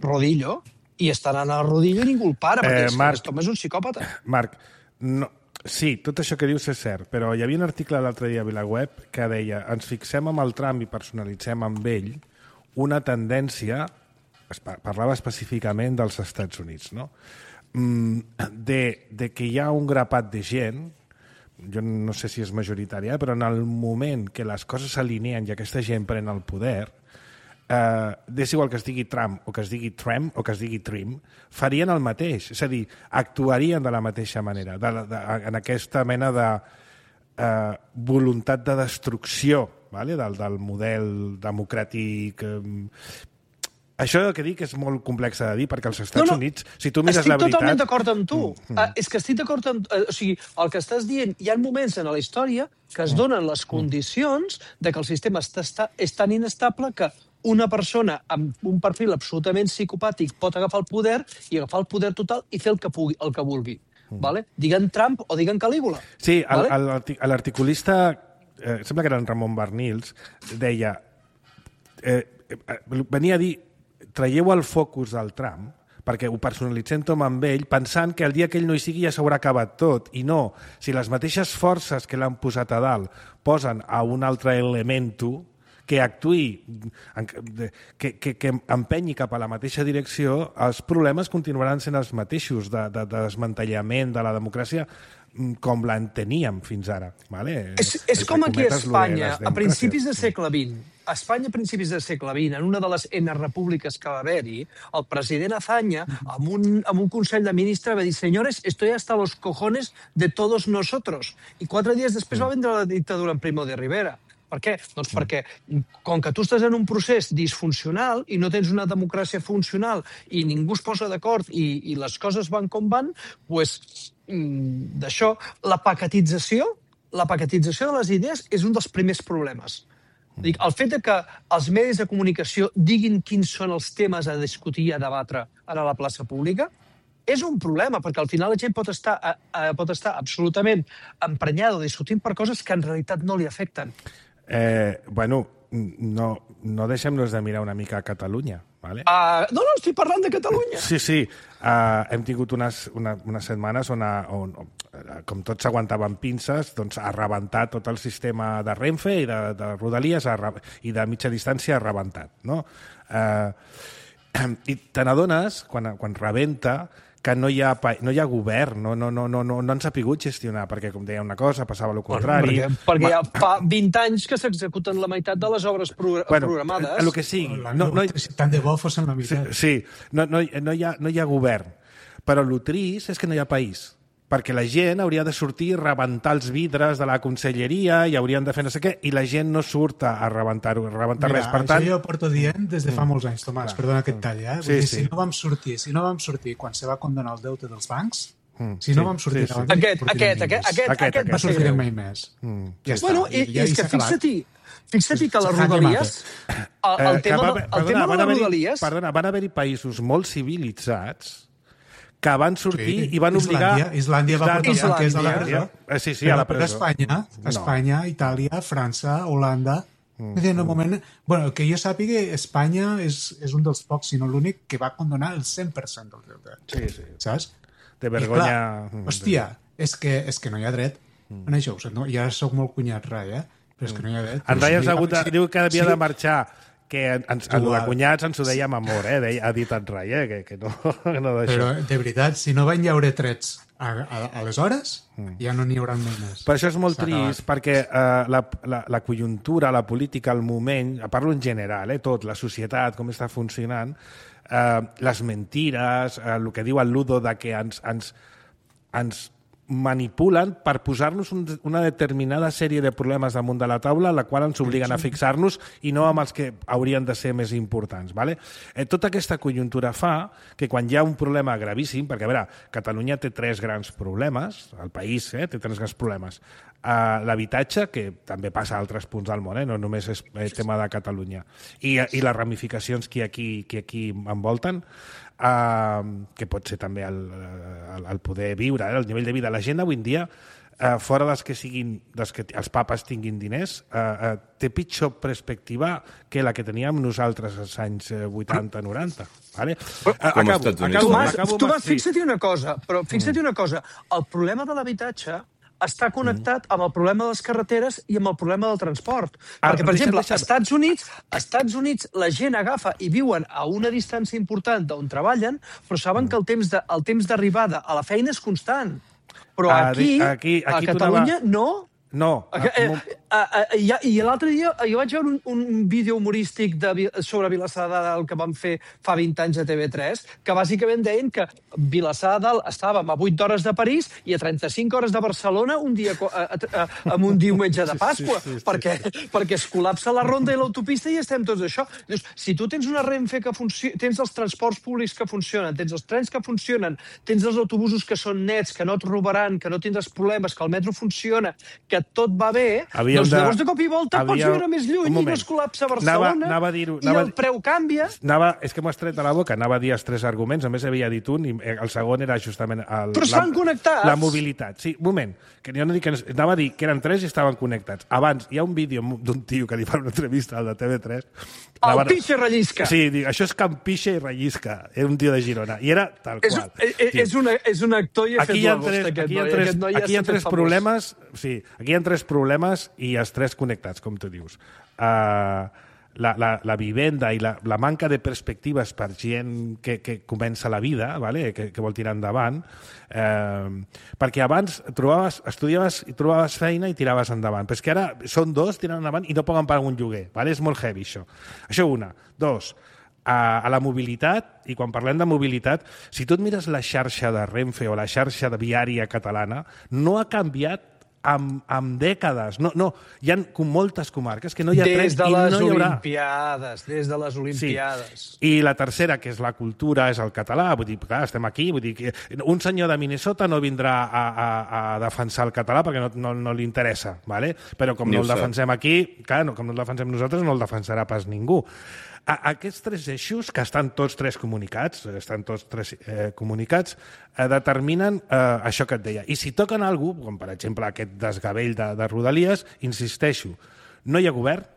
rodillo, i estan anant al rodillo i ningú el para, perquè Eh, és, Marc. Tom és un psicòpata. Marc, no, sí, tot això que dius és cert, però hi havia un article l'altre dia a VilaWeb que deia ens fixem amb el Trump i personalitzem amb ell una tendència, parlava específicament dels Estats Units, no? De, de que hi ha un grapat de gent, jo no sé si és majoritària, però en el moment que les coses s'alineen i aquesta gent pren el poder, eh, és igual que es digui Trump o que es digui Trump o que es digui Trim, farien el mateix, és a dir, actuarien de la mateixa manera, de, de, en aquesta mena de eh, voluntat de destrucció, vale? del, del model democràtic. Eh, Això que dic és molt complex de dir, perquè als Estats no, no, Units, si tu mires la veritat... Estic totalment d'acord amb tu. Mm. Uh, és que estic d'acord amb... Uh, o sigui, el que estàs dient, hi ha moments en la història que es donen les condicions de que el sistema està, està, és tan inestable que una persona amb un perfil absolutament psicopàtic pot agafar el poder i agafar el poder total i fer el que, pugui, el que vulgui. Mm. Vale? Diguen Trump o diguen Calígula. Sí, vale? l'articulista, eh, sembla que era en Ramon Barnils, deia... Eh, venia a dir... traieu el focus del Trump, perquè ho personalitzem tot amb ell, pensant que el dia que ell no hi sigui ja s'haurà acabat tot. I no, si les mateixes forces que l'han posat a dalt posen a un altre elemento que actuï, que, que, que empenyi cap a la mateixa direcció, els problemes continuaran sent els mateixos de, de, de desmantellament de la democràcia com l'enteníem fins ara. Vale? És, és com aquí a Espanya, a principis del segle vint. A Espanya, a principis del segle vint, en una de les N repúbliques que va haver-hi, el president Azaña, amb un, amb un consell de ministres, va dir «Señores, estoy hasta los cojones de todos nosotros». I quatre dies després va vendre la dictadura en Primo de Rivera. Per què? Doncs perquè, com que tu estàs en un procés disfuncional i no tens una democràcia funcional i ningú es posa d'acord i, i les coses van com van, doncs, d'això, la paquetització, la paquetització de les idees és un dels primers problemes. Dic, el fet de que els medis de comunicació diguin quins són els temes a discutir i a debatre a la plaça pública és un problema, perquè al final la gent pot estar, eh, pot estar absolutament emprenyada o discutint per coses que en realitat no li afecten. Eh, bueno, no, no deixem-nos de mirar una mica a Catalunya, ¿vale? Uh, no, no, estic parlant de Catalunya. Sí, sí. Uh, hem tingut unes, una, unes setmanes on, a, on, com tots s'aguantaven pinces, doncs ha rebentat tot el sistema de Renfe i de, de Rodalies ha, i de mitja distància ha rebentat, no? Uh, I te n'adones, quan, quan rebenta, que no hi ha, no hi ha govern, no, no, no, no, no han sapigut gestionar, perquè, com deia una cosa, passava el contrari. Bueno, perquè perquè Ma... ja fa vint anys que s'executen la meitat de les obres pro bueno, programades. El que sigui. No, no, tant de bo fossin la meitat. Sí, sí. No, no, no, hi ha, no hi ha govern. Però el trist és que no hi ha país. Perquè la gent hauria de sortir a rebentar els vidres de la conselleria i haurien de fer no sé què, i la gent no surt a rebentar-ho, a rebentar Mira, res. Per tant... jo ho porto dient des de fa molts anys, Tomàs, perdona que et talli, eh? Sí, dir, sí. Si no vam sortir, si no vam sortir quan se va condonar el deute dels bancs, mm, si no sí, vam sortir... Sí, sí. Aquest, aquest, aquest, aquest, aquest, aquest, aquest, no sortirem mai més. Mm. Ja està. Bueno, i, ja, i és que fixa't-hi, fixa't-hi que les Jaque Rodalies... El, el Eh, tema, va, el perdona, tema de les Rodalies... Perdona, van haver-hi països molt civilitzats que van sortir sí, i van obligar... Islàndia, Islàndia va portar els banquers a la presó. Eh, sí, sí, però, a la presó. Però Espanya, Espanya, no. Itàlia, França, Holanda... Mm. Dir, en un moment, bueno, que jo sàpiga, Espanya és, és un dels pocs, si no l'únic, que va condonar el cent per cent del deute. Sí, sí. Saps? De vergonya... Clar, hòstia, és que, és que no hi ha dret. Mm. En això, no? Ja sóc molt cunyat, Rai, eh? Però és que no hi ha dret. En Rai sí, hagut de, sí, diu que havia sí. de marxar, que ens, en de cunyats ens ho dèiem amor, eh? Deia, ha dit en Rai, eh? Que, que no, no d'això. Però, de veritat, si no van llaure trets a, a, a les hores, mm. ja no n'hi haurà mai més. Per això és molt trist, perquè uh, la, la, la conjuntura, la política, el moment, parlo en general, eh, tot, la societat, com està funcionant, uh, les mentires, uh, el que diu el Ludo de que ens, ens, ens manipulen per posar-nos un, una determinada sèrie de problemes damunt de la taula, la qual ens obliguen a fixar-nos i no amb els que haurien de ser més importants. Vale? Eh, tota aquesta conjuntura fa que quan hi ha un problema gravíssim, perquè a veure, Catalunya té tres grans problemes, el país eh, té tres grans problemes. Uh, l'habitatge, que també passa a altres punts del món, eh? No només és eh, tema de Catalunya, i, i les ramificacions que aquí, que aquí envolten, uh, que pot ser també el, el, el poder viure, eh? El nivell de vida. La gent avui en dia, uh, fora dels que siguin, dels que els papes tinguin diners, uh, uh, té pitjor perspectiva que la que teníem nosaltres als anys vuitanta noranta. Vale? Uh, acabo, acabo, Tomàs, acabo, Tomàs, fixa't una cosa, però fixa't una cosa, el problema de l'habitatge està connectat amb el problema de les carreteres i amb el problema del transport. Ah, Perquè, per deixa'm, exemple, deixa'm. als Estats Units, als Estats Units la gent agafa i viuen a una distància important d'on treballen, però saben que el temps de, el temps d'arribada a la feina és constant. Però Ah, aquí, di- aquí- a aquí tu Catalunya, anava- no. No. Eh, eh, eh, eh, I i l'altre dia jo vaig veure un, un vídeo humorístic de, Vi- sobre Vilassar de Dalt que van fer fa vint anys a T V tres, que bàsicament deien que Vilassar de Dalt estàvem a vuit hores de París i a trenta-cinc hores de Barcelona un dia, co- a, a, a, amb un diumenge de Pasqua, Sí, sí, sí, sí. perquè, perquè es col·lapsa la ronda i l'autopista i estem tots això. Dius, si tu tens una Renfe que funciona, tens els transports públics que funcionen, tens els trens que funcionen, tens els autobusos que són nets, que no et robaran, que no tindràs problemes, que el metro funciona, que tot va bé, Havíem doncs de- llavors de cop i volta pots havíem- viure més Un lluny i no moment. es col·lapsa Anava- Barcelona anava a dir-ho, i anava a el dir- preu canvia. Anava, és que m'ho has tret de la boca, anava a dir els tres arguments, només havia dit un, i el segon era justament... El, Però estan connectats. La mobilitat. Sí, un moment, que jo no dic que... no- Anava a dir que eren tres i estaven connectats. Abans, hi ha un vídeo d'un tio que li fa una entrevista al de T V tres. El Anava- pixe rellisca. Sí, dic, això és Can Pixa i rellisca. Era un tio de Girona. I era tal És, qual. és, és, una, és un actor i ha fet Aquí hi ha l'agost, tres, aquest aquí hi ha noi. tres, Aquest noi ja aquí hi ha s'ha fet tres famós. problemes, sí, aquí hi ha tres problemes i els tres connectats, com tu dius. Uh, la, la, la vivenda i la, la manca de perspectives per gent que, que comença la vida, vale? que, que vol tirar endavant, eh, perquè abans trobaves, estudiaves i trobaves feina i tiraves endavant, però és que ara són dos tirant endavant i no poden pagar un lloguer, vale? És molt heavy això. Això una. Dos, a, a la mobilitat, i quan parlem de mobilitat, si tu et mires la xarxa de Renfe o la xarxa de viària catalana, no ha canviat amb, amb dècades. No, no, hi ha com moltes comarques que no hi ha tren Des de i les no hi haurà. Olimpiades, des de les Olimpiades. Sí. I la tercera, que és la cultura, és el català. Vull dir, clar, estem aquí. Vull dir que un senyor de Minnesota no vindrà a, a, a defensar el català perquè no, no, no li interessa, ¿vale? Però com Ni no ho el sap. defensem aquí, clar, no, com no el defensem nosaltres, no el defensarà pas ningú. A, aquests tres eixos, que estan tots tres comunicats, estan tots tres eh, comunicats, eh, determinen eh, això que et deia. I si toquen alguna cosa, com per exemple aquest desgavell de, de Rodalies, insisteixo, no hi ha govern,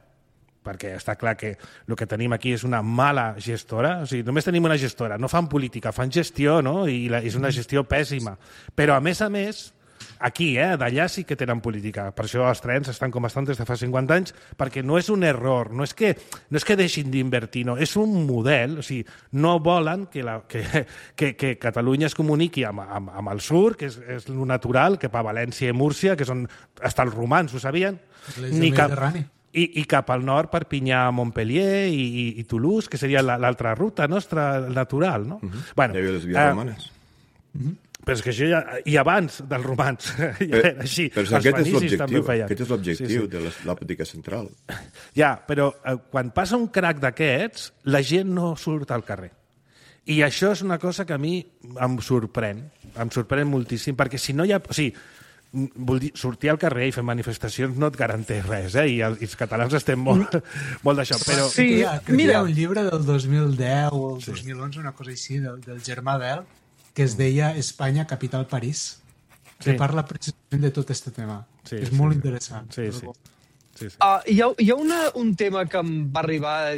perquè està clar que el que tenim aquí és una mala gestora, o sigui, només tenim una gestora, no fan política, fan gestió, no? I la, és una gestió pèssima. Però, a més a més, aquí, eh, d'allà sí que tenen política. Per això els trens estan com estan des de fa cinquanta anys, perquè no és un error, no és que, no és que deixin d'invertir, no, és un model, o sigui, no volen que, la, que, que, que Catalunya es comuniqui amb, amb, amb el sur, que és, és lo natural, que per València i Múrcia, que són hasta els romans, ho sabien? L'eix del Mediterrani. I, i cap al nord, Perpinyà, Montpellier i, i, i Toulouse, que seria l'altra ruta nostra natural, no? Uh -huh. Bueno, Hi havia les vies eh, romanes. Uh -huh. Però és que això ja... I abans dels romans, ja era així. Però Els aquest és fenicis també ho l'objectiu, feien. aquest és l'objectiu Sí, sí. de les- la política central. Ja, però eh, quan passa un crac d'aquests, la gent no surt al carrer. I això és una cosa que a mi em sorprèn, em sorprèn moltíssim, perquè si no hi ha... O sigui, vol dir, sortir al carrer i fer manifestacions no et garanteix res, eh? I, el, i els catalans estem molt, molt d'això, però... Sí, Crec que hi ha, crec que hi mira. ha un llibre del dos mil deu o el dos mil onze, una cosa així, del, del Germà Bel, que es deia Espanya, capital París, que Sí. parla precisament de tot aquest tema. Sí, és sí, molt sí. interessant. Sí, sí. Sí, sí. Uh, hi ha, hi ha una, un tema que em va arribar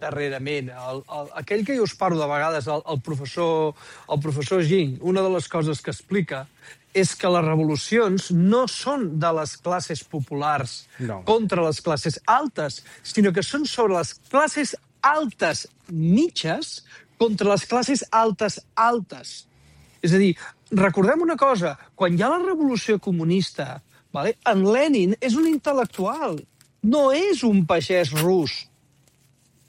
darrerament. El, el, aquell que jo us parlo de vegades, el, el, professor, el professor Ging, una de les coses que explica és que les revolucions no són de les classes populars No. contra les classes altes, sinó que són sobre les classes altes mitges contra les classes altes altes. És a dir, recordem una cosa, quan hi ha la revolució comunista, vale, en Lenin és un intel·lectual, no és un pagès rus,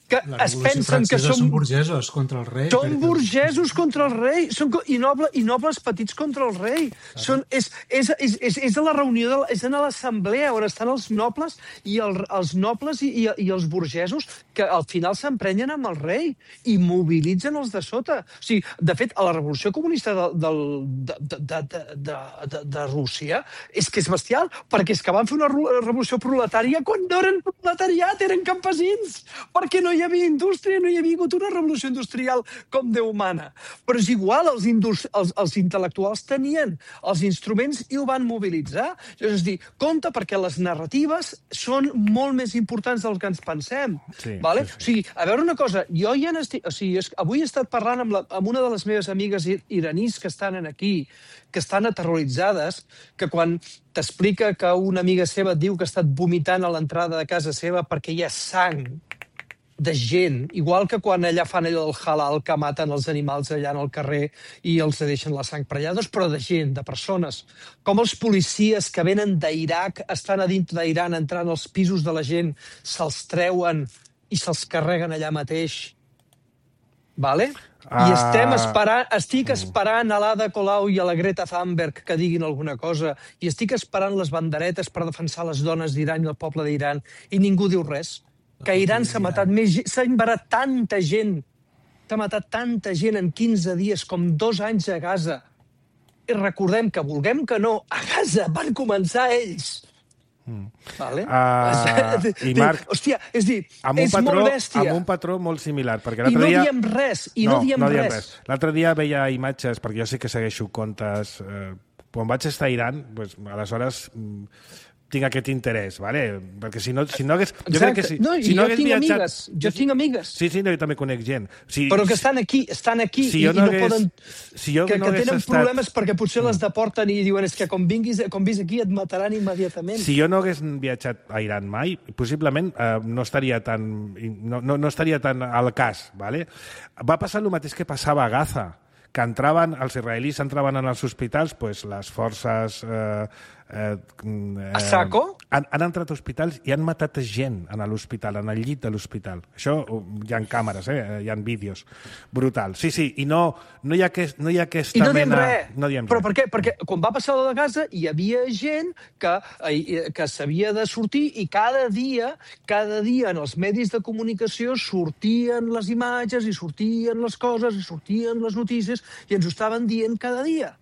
que La es Revolució pensen que Francesa són... són burgesos contra el rei. Són perquè- burgesos contra el rei són, co- i, noble, i nobles petits contra el rei. Són, és, és, és, és, és a la reunió, de, la- és a l'assemblea on estan els nobles i el, els nobles i, i, i els burgesos que al final s'emprenyen amb el rei i mobilitzen els de sota. O sigui, de fet, a la revolució comunista de, del- de, de, de, de, de, de, de Rússia és que és bestial, perquè és que van fer una ru- revolució proletària quan no eren proletariat, eren campesins, perquè no hi hi havia indústria, no hi havia hagut una revolució industrial com Déu mana. Però és igual, els, indus, els, els intel·lectuals tenien els instruments i ho van mobilitzar. És a dir, compte perquè les narratives són molt més importants del que ens pensem. Sí, vale? sí, sí. O sigui, a veure una cosa, jo ja n'estic... O sigui, és, avui he estat parlant amb, la, amb una de les meves amigues iranís que estan aquí, que estan aterroritzades, que quan t'explica que una amiga seva et diu que ha estat vomitant a l'entrada de casa seva perquè hi ha sang de gent, igual que quan allà fan allò del halal, que maten els animals allà en el carrer i els deixen la sang per allà, doncs, però de gent, de persones. Com els policies que venen d'Iraq, estan a dintre d'Iran, entrant als pisos de la gent, se'ls treuen i se'ls carreguen allà mateix. Vale? I estem esperant, estic esperant a l'Ada Colau i a la Greta Thunberg que diguin alguna cosa, i estic esperant les banderetes per defensar les dones d'Iran i el poble d'Iran, i ningú diu res. Que a Iran s'ha matat més gent, s'ha embarat tanta gent, s'ha matat tanta gent en quinze dies com dos anys a Gaza. I recordem que, vulguem que no, a Gaza van començar ells. Mm. Vale? Uh, I Marc, hòstia, és dir, és patró, molt bèstia. Amb un patró molt similar. Perquè I no dia... diem res, i no, no diem no res. res. L'altre dia veia imatges, perquè jo sí que segueixo comptes... Eh, quan vaig estar a Iran, pues, aleshores mm, tinc aquest interès, ¿vale? Perquè si no, si no hagués... Jo crec que si, no, si no jo hagués tinc viatjat... amigues, jo tinc amigues. Sí, sí, no, jo també conec gent. Si, Però que estan aquí, estan aquí si i, no i no hagués, poden... Si jo que, no que tenen estat... problemes perquè potser les deporten i diuen és que com vinguis, com vis aquí et mataran immediatament. Si jo no hagués viatjat a Iran mai, possiblement eh, no estaria tan no, no, no estaria tan al cas, ¿vale? Va passar el mateix que passava a Gaza, que entraven, els israelis entraven en els hospitals, pues, les forces... Eh, eh, a saco? Han, han entrat a hospitals i han matat gent en l'hospital, en el llit de l'hospital. Això hi ha càmeres, eh? Hi ha vídeos. Brutal. Sí, sí, i no, no, hi, ha aquest, no hi ha aquesta I no diem mena... res. No diem Però res. per què? Perquè quan va passar la de Gaza hi havia gent que, que s'havia de sortir i cada dia, cada dia en els medis de comunicació sortien les imatges i sortien les coses i sortien les notícies i ens ho estaven dient cada dia.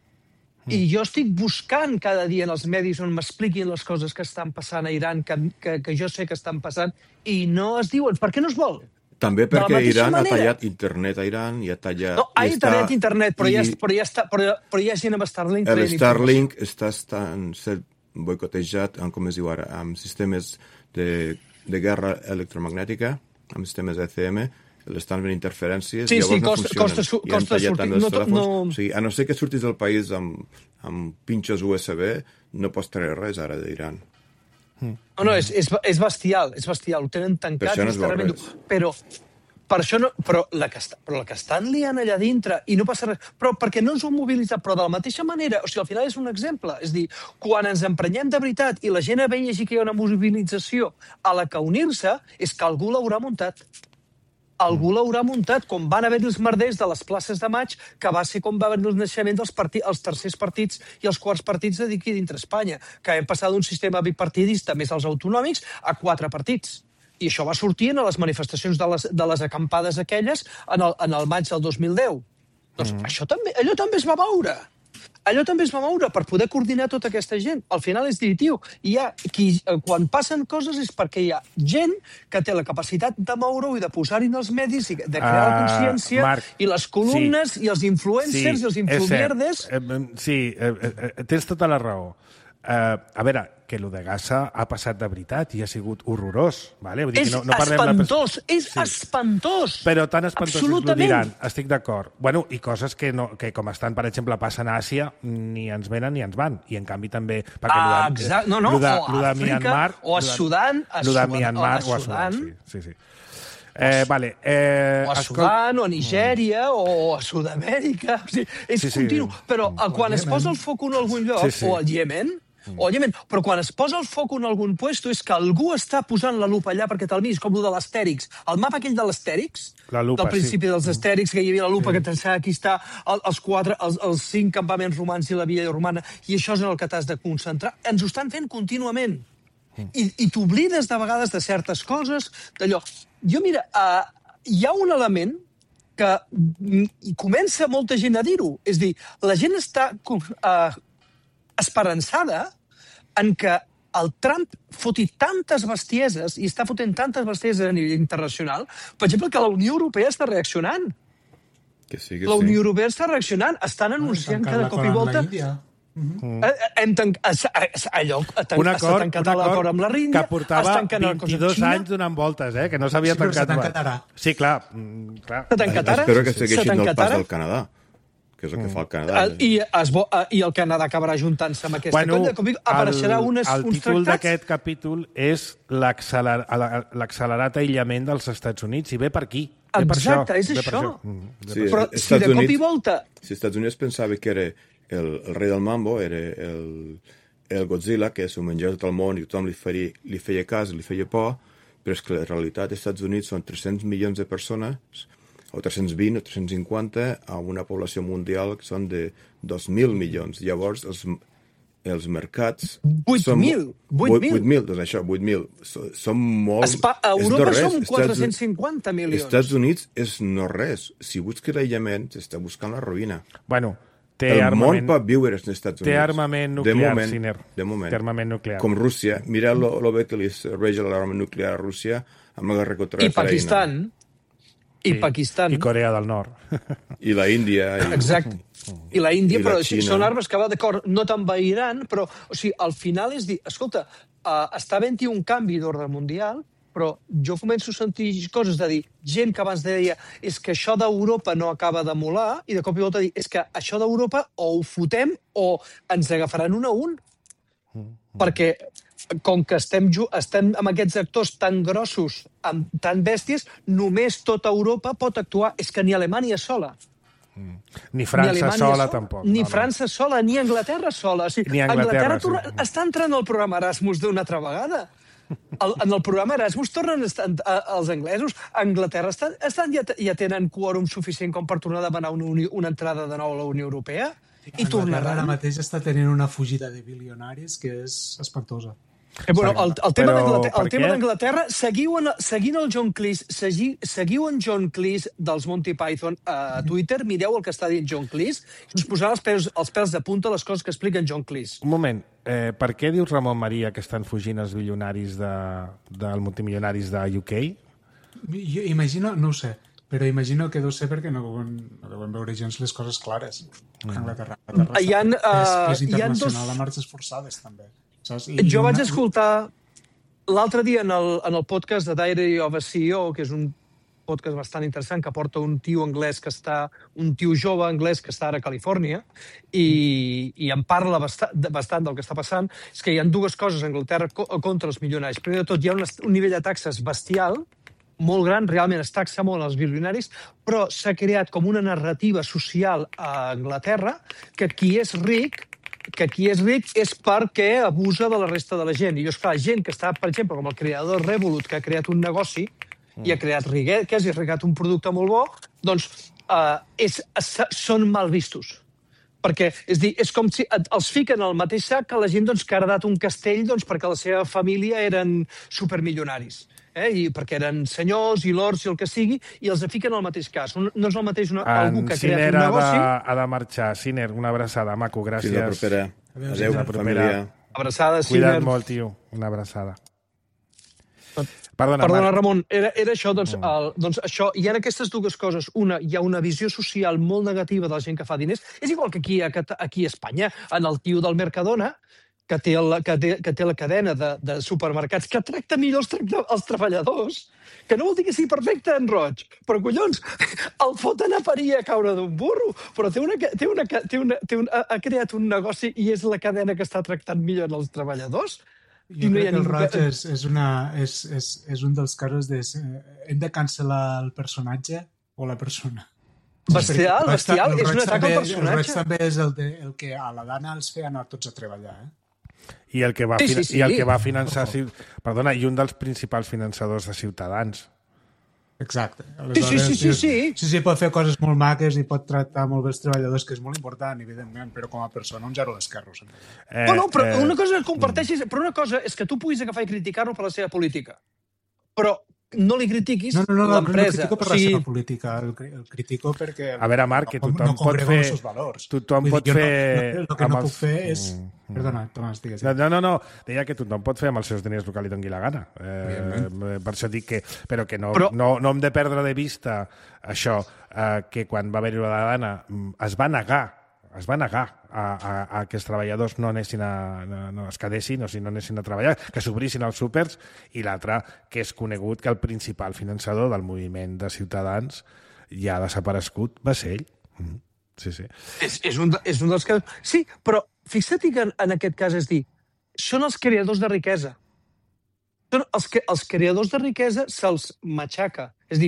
I jo estic buscant cada dia en els medis on m'expliquin les coses que estan passant a Iran, que, que, que jo sé que estan passant, i no es diuen. Per què no es vol? També perquè Iran manera. ha tallat internet a Iran i ha tallat... No, ha internet, està, internet, però, i, ja, però, ja està, però, però hi ha gent amb Starlink. El Starlink està estant ser boicotejat, amb, com es diu ara, amb sistemes de, de guerra electromagnètica, amb sistemes E C M, l'estan venint interferències sí, i llavors sí, no costa, funcionen. Costa, su, I han costa tallat sortir, tant els no, telèfons. no... O sigui, a no ser que surtis del país amb, amb pinxes U S B, no pots treure res ara d'Iran. No, no, és, és, és bestial, és bestial, ho tenen tancat. Per això no es veu res. Però, per això no, però, la que està, però la que estan liant allà dintre i no passa res, però perquè no ens ho han mobilitzat, però de la mateixa manera, o sigui, al final és un exemple, és dir, quan ens emprenyem de veritat i la gent vegi que hi ha una mobilització a la que unir-se, és que algú l'haurà muntat. Algú l'haurà muntat, com van haver-hi els merders de les places de maig, que va ser com va haver-hi el naixement dels partits, els tercers partits i els quarts partits d'aquí dintre Espanya, que hem passat d'un sistema bipartidista més els autonòmics a quatre partits. I això va sortir en les manifestacions de les, de les acampades aquelles en el, en el maig del dos mil deu. Doncs mm. això també, allò també es va moure. Allò també es va moure per poder coordinar tota aquesta gent. Al final és dir, tio, hi ha qui, quan passen coses és perquè hi ha gent que té la capacitat de moure-ho i de posar-hi en els medis i de crear uh, la consciència, Marc, i les columnes sí, i els influencers sí, i els influencerdes... Eh, sí, eh, eh, tens tota la raó. Uh, a veure, que el de Gaza ha passat de veritat i ha sigut horrorós. Vale? Vull dir és que no, no espantós, de... és sí. espantós. Però tan espantós és l'Iran, estic d'acord. Bueno, i coses que, no, que com estan, per exemple, passen a Àsia, ni ens venen ni ens van. I en canvi també... Ah, exacte. No, no, de, o a Àfrica, Myanmar, o a Sudan, a Sudan, o a Sudan. Sí, sí, sí. Eh, vale, eh, o a Sudan, o a Nigèria, mm. o a Sud-amèrica. O sigui, és sí, continu. Sí. Però o quan es posa el foc en algun lloc, sí, sí. o al Iemen, o al Iemen, però quan es posa el foc en algun puesto és que algú està posant la lupa allà perquè te'l miris, com el de l'Astèrix. El mapa aquell de l'Astèrix, del principi sí. dels Astèrix, que hi havia la lupa, sí. que t'ensenya aquí està els, quatre, els, els cinc campaments romans i la via romana, i això és en el que t'has de concentrar. Ens ho estan fent contínuament. I, i t'oblides de vegades de certes coses, d'allò. Jo, mira, uh, hi ha un element que i comença molta gent a dir-ho. És dir, la gent està uh, esperançada en que el Trump foti tantes bestieses i està fotent tantes bestieses a nivell internacional, per exemple, que la Unió Europea està reaccionant. Que sí, que la Unió sí. Europea està reaccionant, estan anunciant cada cop i volta... Mm-hmm. Hem tanc... allò, un acord, està tancat l'acord amb la Índia, que portava vint-i-dos anys donant voltes, eh? Que no s'havia sí, tancat. Tancat sí, clar. clar. S'ha tancat ara? Espero que segueixin el pas del Canadà, que és el que fa el Canadà. I, es vo... I el Canadà acabarà juntant-se amb aquesta bueno, colla. Com dic, apareixerà el, unes, el uns títol tractats... d'aquest capítol és l'accelerat aïllament dels Estats Units, i ve per aquí. Ve Exacte, per és això. això. Mm, sí, Però Estats si de cop Units, i volta... Si Estats Units pensava que era el, el rei del mambo, era el, el Godzilla, que s'ho menjava tot el món i tothom li feia, li feia cas, li feia por, però és que la realitat dels Estats Units són tres-cents milions de persones, o tres-cents vint o tres-cents cinquanta, a una població mundial que són de dos mil milions. Llavors, els, els mercats... vuit mil! vuit mil! Doncs això, vuit mil. Són molt... Espa, a Europa són quatre-cents cinquanta milions. Estats Units és no res. Si busques l'aïllament, s'està buscant la ruïna. Bueno, té el armament... món pot viure als Estats Units. Té armament nuclear, de moment, Siner. De moment. Té armament nuclear. Com Rússia. Mireu lo, lo bé que li reja l'armament nuclear a Rússia amb la guerra contra I Pakistan. I sí. Pakistan. I Corea del Nord. I la Índia. I... Exacte. I la Índia, I la però Xina. són armes que va d'acord, no t'envairan, però, o sigui, al final és dir, escolta, uh, està havent-hi un canvi d'ordre mundial, però jo començo a sentir coses de dir, gent que abans deia és que això d'Europa no acaba de molar, i de cop i volta dir, és que això d'Europa o ho fotem o ens agafaran un a un. Mm. Perquè com que estem, estem amb aquests actors tan grossos, amb tan bèsties, només tota Europa pot actuar. És que ni Alemanya sola. Mm. Ni França ni sola, tampoc. Ni no, França no. sola, ni Anglaterra sola. O sigui, ni Anglaterra, Anglaterra sí. està entrant al programa Erasmus d'una altra vegada. El, en el programa Erasmus tornen a estar, a, els anglesos. A Anglaterra estan, estan, ja, ja tenen quòrum suficient com per tornar a demanar una, uni, una entrada de nou a la Unió Europea. I tornaran. Ara mateix està tenint una fugida de bilionaris que és espantosa. Eh, bueno, el, el tema Però, d'Anglaterra, seguiu en, seguint el John Cleese, segui, seguiu en John Cleese dels Monty Python a Twitter, mireu el que està dient John Cleese, i us posarà els pèls, els pèls de punta les coses que explica en John Cleese. Un moment, eh, per què dius, Ramon Maria, que estan fugint els bilionaris de, dels multimilionaris de U K? Jo imagino, no ho sé, però imagino que deu ser perquè no deuen, no deuen veure gens les coses clares. Mm. Anglaterra, Anglaterra hi ha, uh, és, és internacional dos... a marxes forçades, també. I jo una... vaig escoltar l'altre dia en el, en el podcast de Diary of a C E O, que és un podcast bastant interessant que porta un tio anglès que està, un tio jove anglès que està ara a Califòrnia i, i en parla bastant, bastant del que està passant. És que hi ha dues coses a Anglaterra contra els milionaris. Primer de tot, hi ha un, un nivell de taxes bestial, molt gran, realment es taxa molt els bilionaris, però s'ha creat com una narrativa social a Anglaterra que qui és ric que qui és ric és perquè abusa de la resta de la gent. I, esclar, gent que està, per exemple, com el creador Revolut, que ha creat un negoci mm. i ha creat riquesa i ha creat un producte molt bo, doncs uh, és, són mal vistos. Perquè, és dir, és com si els fiquen al mateix sac que la gent doncs, que ha heredat un castell doncs, perquè la seva família eren supermilionaris. Eh? I perquè eren senyors i lords i el que sigui, i els fiquen al mateix cas. No és el mateix una, algú que ha creat un negoci... Siner ha, ha de marxar. Siner, una abraçada, maco, gràcies. Fins la propera. Adéu, Adéu, la família. Abraçada, Siner. Cuida't molt, tio. Una abraçada. Perdona, Perdona Ramon, era, era això, doncs, el, doncs això, hi ha aquestes dues coses. Una, hi ha una visió social molt negativa de la gent que fa diners. És igual que aquí a, aquí a Espanya, en el tio del Mercadona, que té, el, que té, que té la cadena de, de supermercats, que tracta millor els, tracta, els treballadors, que no vol dir que sigui perfecte en Roig, però collons, el foten a parir a caure d'un burro, però té una, té una, té una, té una, ha creat un negoci i és la cadena que està tractant millor els treballadors. Jo crec que el Roig és, és, una, és, és, és un dels casos de... Hem de cancel·lar el personatge o la persona. Bestial, bestial, és un atac al personatge. El Roig també és el, de, el que a la Dana els feia anar tots a treballar, eh? I el que va, sí, sí, sí. I el que va finançar... Perdona, i un dels principals finançadors de Ciutadans. Exacte. Sí, sí, sí, sí, sí. Sí, sí, pot fer coses molt maques i pot tractar molt bé els treballadors, que és molt important, evidentment, però com a persona un zero d'esquerros. Eh, no, no, però eh, una cosa que comparteixis... Però una cosa és que tu puguis agafar i criticar-lo per la seva política. Però no li critiquis no, no, no, l'empresa. No, no critico per o sigui... la seva política, el, el critico perquè... A veure, Marc, que tothom no pot fer... Tothom pot dir, fer... No, no, el que no els... puc fer és... Mm. Perdona, Tomàs, digues. No, no, no, deia que tothom pot fer amb els seus diners el que li doni la gana. Eh, per això dic que... Però que no, Però... no, no hem de perdre de vista això, eh, que quan va haver-hi la gana es va negar es va negar a, a, a que els treballadors no anessin a, no, no es quedessin o si no anessin a treballar, que s'obrissin els súpers, i l'altre, que és conegut que el principal finançador del moviment de Ciutadans ja desaparegut va ser ell. Mm. Sí, sí. És, és, un, és un dels casos... Sí, però fixa't que en, en aquest cas és dir, són els creadors de riquesa. Són els, que, els creadors de riquesa se'ls matxaca. És a dir,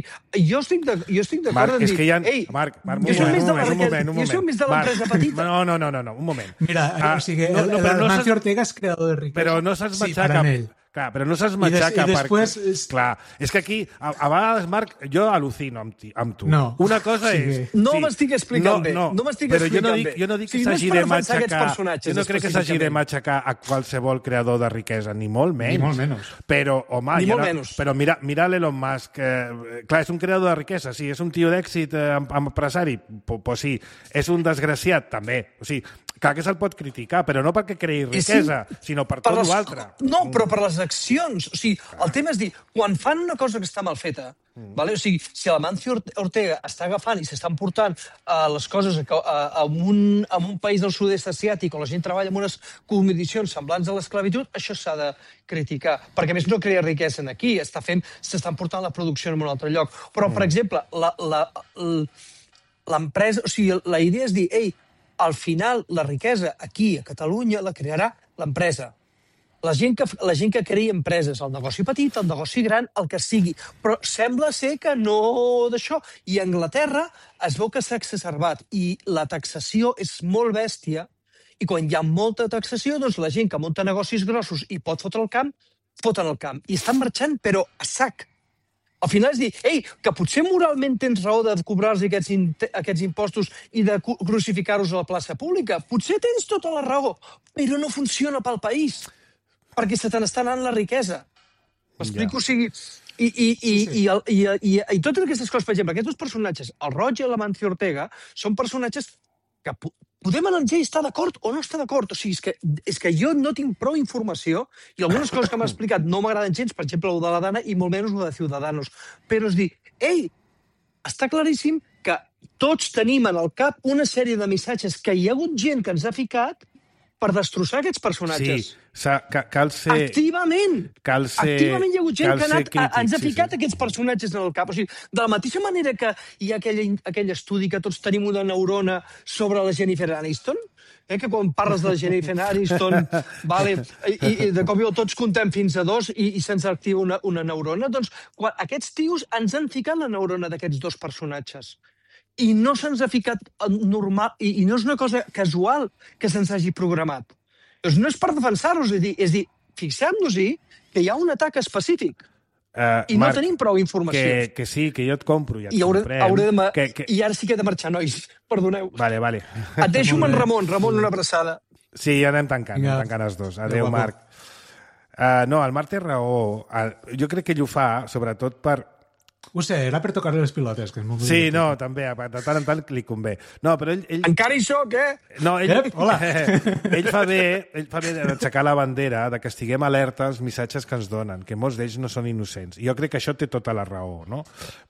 jo estic d'acord en dir... És que hi ha... Ei, Marc, Marc, un jo soc més de moment, un moment, un moment. Jo soc més de l'empresa petita. No, no, no, no, no, un moment. Mira, ah, o sigui, no, no, el, el no Mancio Ortega és creador de riquesa. Però no se'ls matxaca... Sí, clar, però no se'ls matxaca I, des, i després... perquè... És... Clar, és que aquí, a, a vegades, Marc, jo al·lucino amb, ti, amb tu. No. Una cosa sí. és... No sí, m'estic explicant no, bé. No, no m'estic però explicant jo no dic, bé. jo no dic que sí, s'hagi no de matxacar... Jo no crec que s'hagi de matxacar a qualsevol creador de riquesa, ni molt menys. Ni molt menys. Però, home... Ni molt no, menys. Però mira, mira l'Elon Musk. Eh, clar, és un creador de riquesa, sí. És un tio d'èxit eh, empresari? Pues, pues sí. És un desgraciat? També. O sigui, clar que se'l pot criticar, però no perquè creï riquesa, sí, sinó per, per tot les... l'altre. No, però per les accions. O sigui, el tema és dir, quan fan una cosa que està mal feta, mm. vale? O sigui, si l'Amancio Ortega està agafant i s'estan portant uh, les coses a, a, a, un, a un país del sud-est asiàtic on la gent treballa en unes condicions semblants a l'esclavitud, això s'ha de criticar. Perquè, a més, no crea riquesa aquí, està fent, s'estan portant la producció en un altre lloc. Però, mm. per exemple, l'empresa... O sigui, la idea és dir, ei, al final, la riquesa aquí, a Catalunya, la crearà l'empresa. La gent, que, la gent que crea empreses, el negoci petit, el negoci gran, el que sigui. Però sembla ser que no d'això. I a Anglaterra es veu que s'ha exacerbat i la taxació és molt bèstia i quan hi ha molta taxació, doncs la gent que munta negocis grossos i pot fotre el camp, foten el camp. I estan marxant, però a sac. Al final és dir, ei, que potser moralment tens raó de cobrar-los aquests, aquests impostos i de crucificar-los a la plaça pública. Potser tens tota la raó, però no funciona pel país, perquè se te n'està anant la riquesa. M'explico? Ja. O sigui, i, i, i, sí, sí. I, el, i, i, i totes aquestes coses, per exemple, aquests dos personatges, el Roig i l'Amancio Ortega, són personatges que podem analitzar i estar d'acord o no estar d'acord. O sigui, és que, és que jo no tinc prou informació i algunes coses que m'ha explicat no m'agraden gens, per exemple, el de la Dana i molt menys el de Ciudadanos. Però és dir, ei, està claríssim que tots tenim en el cap una sèrie de missatges que hi ha hagut gent que ens ha ficat per destrossar aquests personatges. Sí, cal ser... Activament! Cal ser... Activament hi ha hagut gent que ha anat, crític, ens ha ficat sí, sí. aquests personatges en el cap. O sigui, de la mateixa manera que hi ha aquell, aquell estudi que tots tenim una neurona sobre la Jennifer Aniston, eh, que quan parles de la Jennifer Aniston, vale, i, i de cop i volta tots contem fins a dos i, i se'ns activa una, una neurona, doncs quan aquests tios ens han ficat la neurona d'aquests dos personatges. I no se'ns ha ficat normal, i, i no és una cosa casual que se'ns hagi programat. Doncs no és per defensar-los, és dir, és dir fixem-nos-hi que hi ha un atac específic. Uh, I no Marc, tenim prou informació. Que, que sí, que jo et compro, ja et I hauré, comprem. Hauré de que, que... I ara sí que he de marxar, nois. Perdoneu. Vale, vale. Et deixo amb en Ramon. Ramon, una abraçada. Sí, ja anem tancant, ja. anem tancant els dos. Adéu, Marc. Uh, no, el Marc té raó. Uh, jo crec que ell ho fa, sobretot per... Ho sé, era per tocar les pilotes. Que és molt sí, no, també, de tant en tant li convé. No, però ell... ell... Encara hi soc, eh? No, ell, Ep, hola. ell fa bé, ell fa bé d'aixecar la bandera, de que estiguem alerta als missatges que ens donen, que molts d'ells no són innocents. I jo crec que això té tota la raó, no?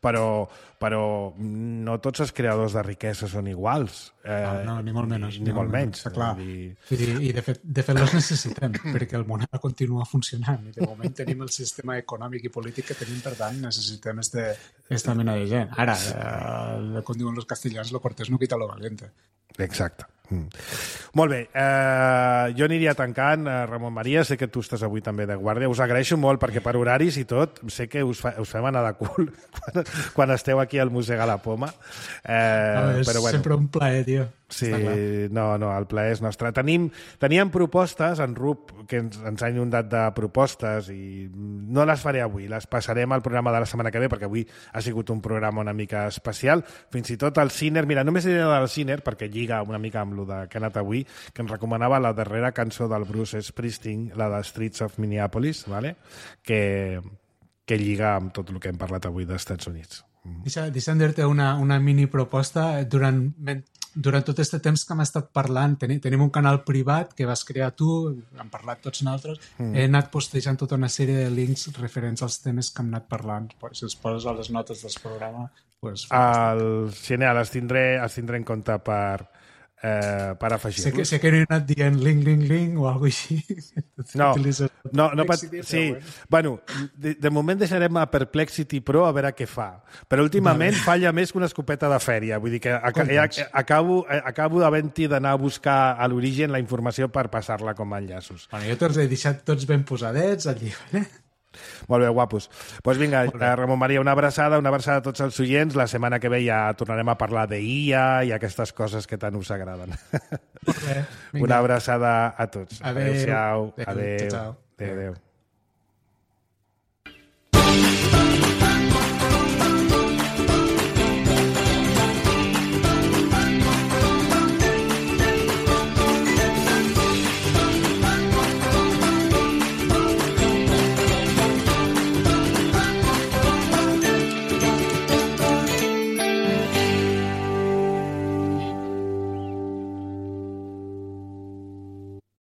Però, però no tots els creadors de riquesa són iguals. Eh, no, no, ni molt menys. Ni, ni molt menys. Està clar. I, I, i de, fet, de fet els necessitem, perquè el món continua funcionant. I de moment tenim el sistema econòmic i polític que tenim, per tant, necessitem este esta mena de gent. Ara, eh, com diuen los castellans, lo cortés no quita lo valiente. Exacte. Mm. Molt bé, eh, jo aniria tancant. eh, Ramon Maria, sé que tu estàs avui també de guàrdia, us agraeixo molt perquè per horaris i tot sé que us, fa, us fem anar de cul quan, quan esteu aquí al Mossega la Poma, eh, no, és però bueno, sempre un plaer, tio. sí, no, no, el plaer és nostre. Tenim, teníem propostes en Rup que ens, ens ha inundat de propostes i no les faré avui, les passarem al programa de la setmana que ve perquè avui ha sigut un programa una mica especial, fins i tot el Ciner, mira, només diré del Ciner perquè lliga una mica amb lo de que ha anat avui, que ens recomanava la darrera cançó del Bruce Springsteen, la de Streets of Minneapolis, ¿vale? que que lliga amb tot el que hem parlat avui dels Estats Units. Deixa, deixa'm dir-te una, una mini proposta. Durant, durant tot aquest temps que hem estat parlant, tenim, tenim un canal privat que vas crear tu, hem parlat tots nosaltres, mm. he anat postejant tota una sèrie de links referents als temes que hem anat parlant. Si els poses a les notes del programa... Pues, el, genial, els tindré, els tindré en compte per... Eh, per afegir-los. Sé que, sé que no he anat dient link, link, link o alguna cosa així. No, no, no pat... sí. Bueno, de, de moment deixarem a Perplexity Pro a veure què fa. Però últimament vale. Falla més que una escopeta de fèria. Vull dir que ac acabo, acabo d'havent-hi d'anar a buscar a l'origen la informació per passar-la com a enllaços. Bueno, jo te'ls he deixat tots ben posadets allí, eh? Molt bé, guapos. Doncs pues vinga, Ramon Maria, una abraçada, una abraçada a tots els oients. La setmana que ve ja tornarem a parlar d'I A i aquestes coses que tant us agraden. Molt bé, una abraçada a tots. Adéu. Adéu-siau. Adéu. Adéu. Adéu. Adéu. Adéu.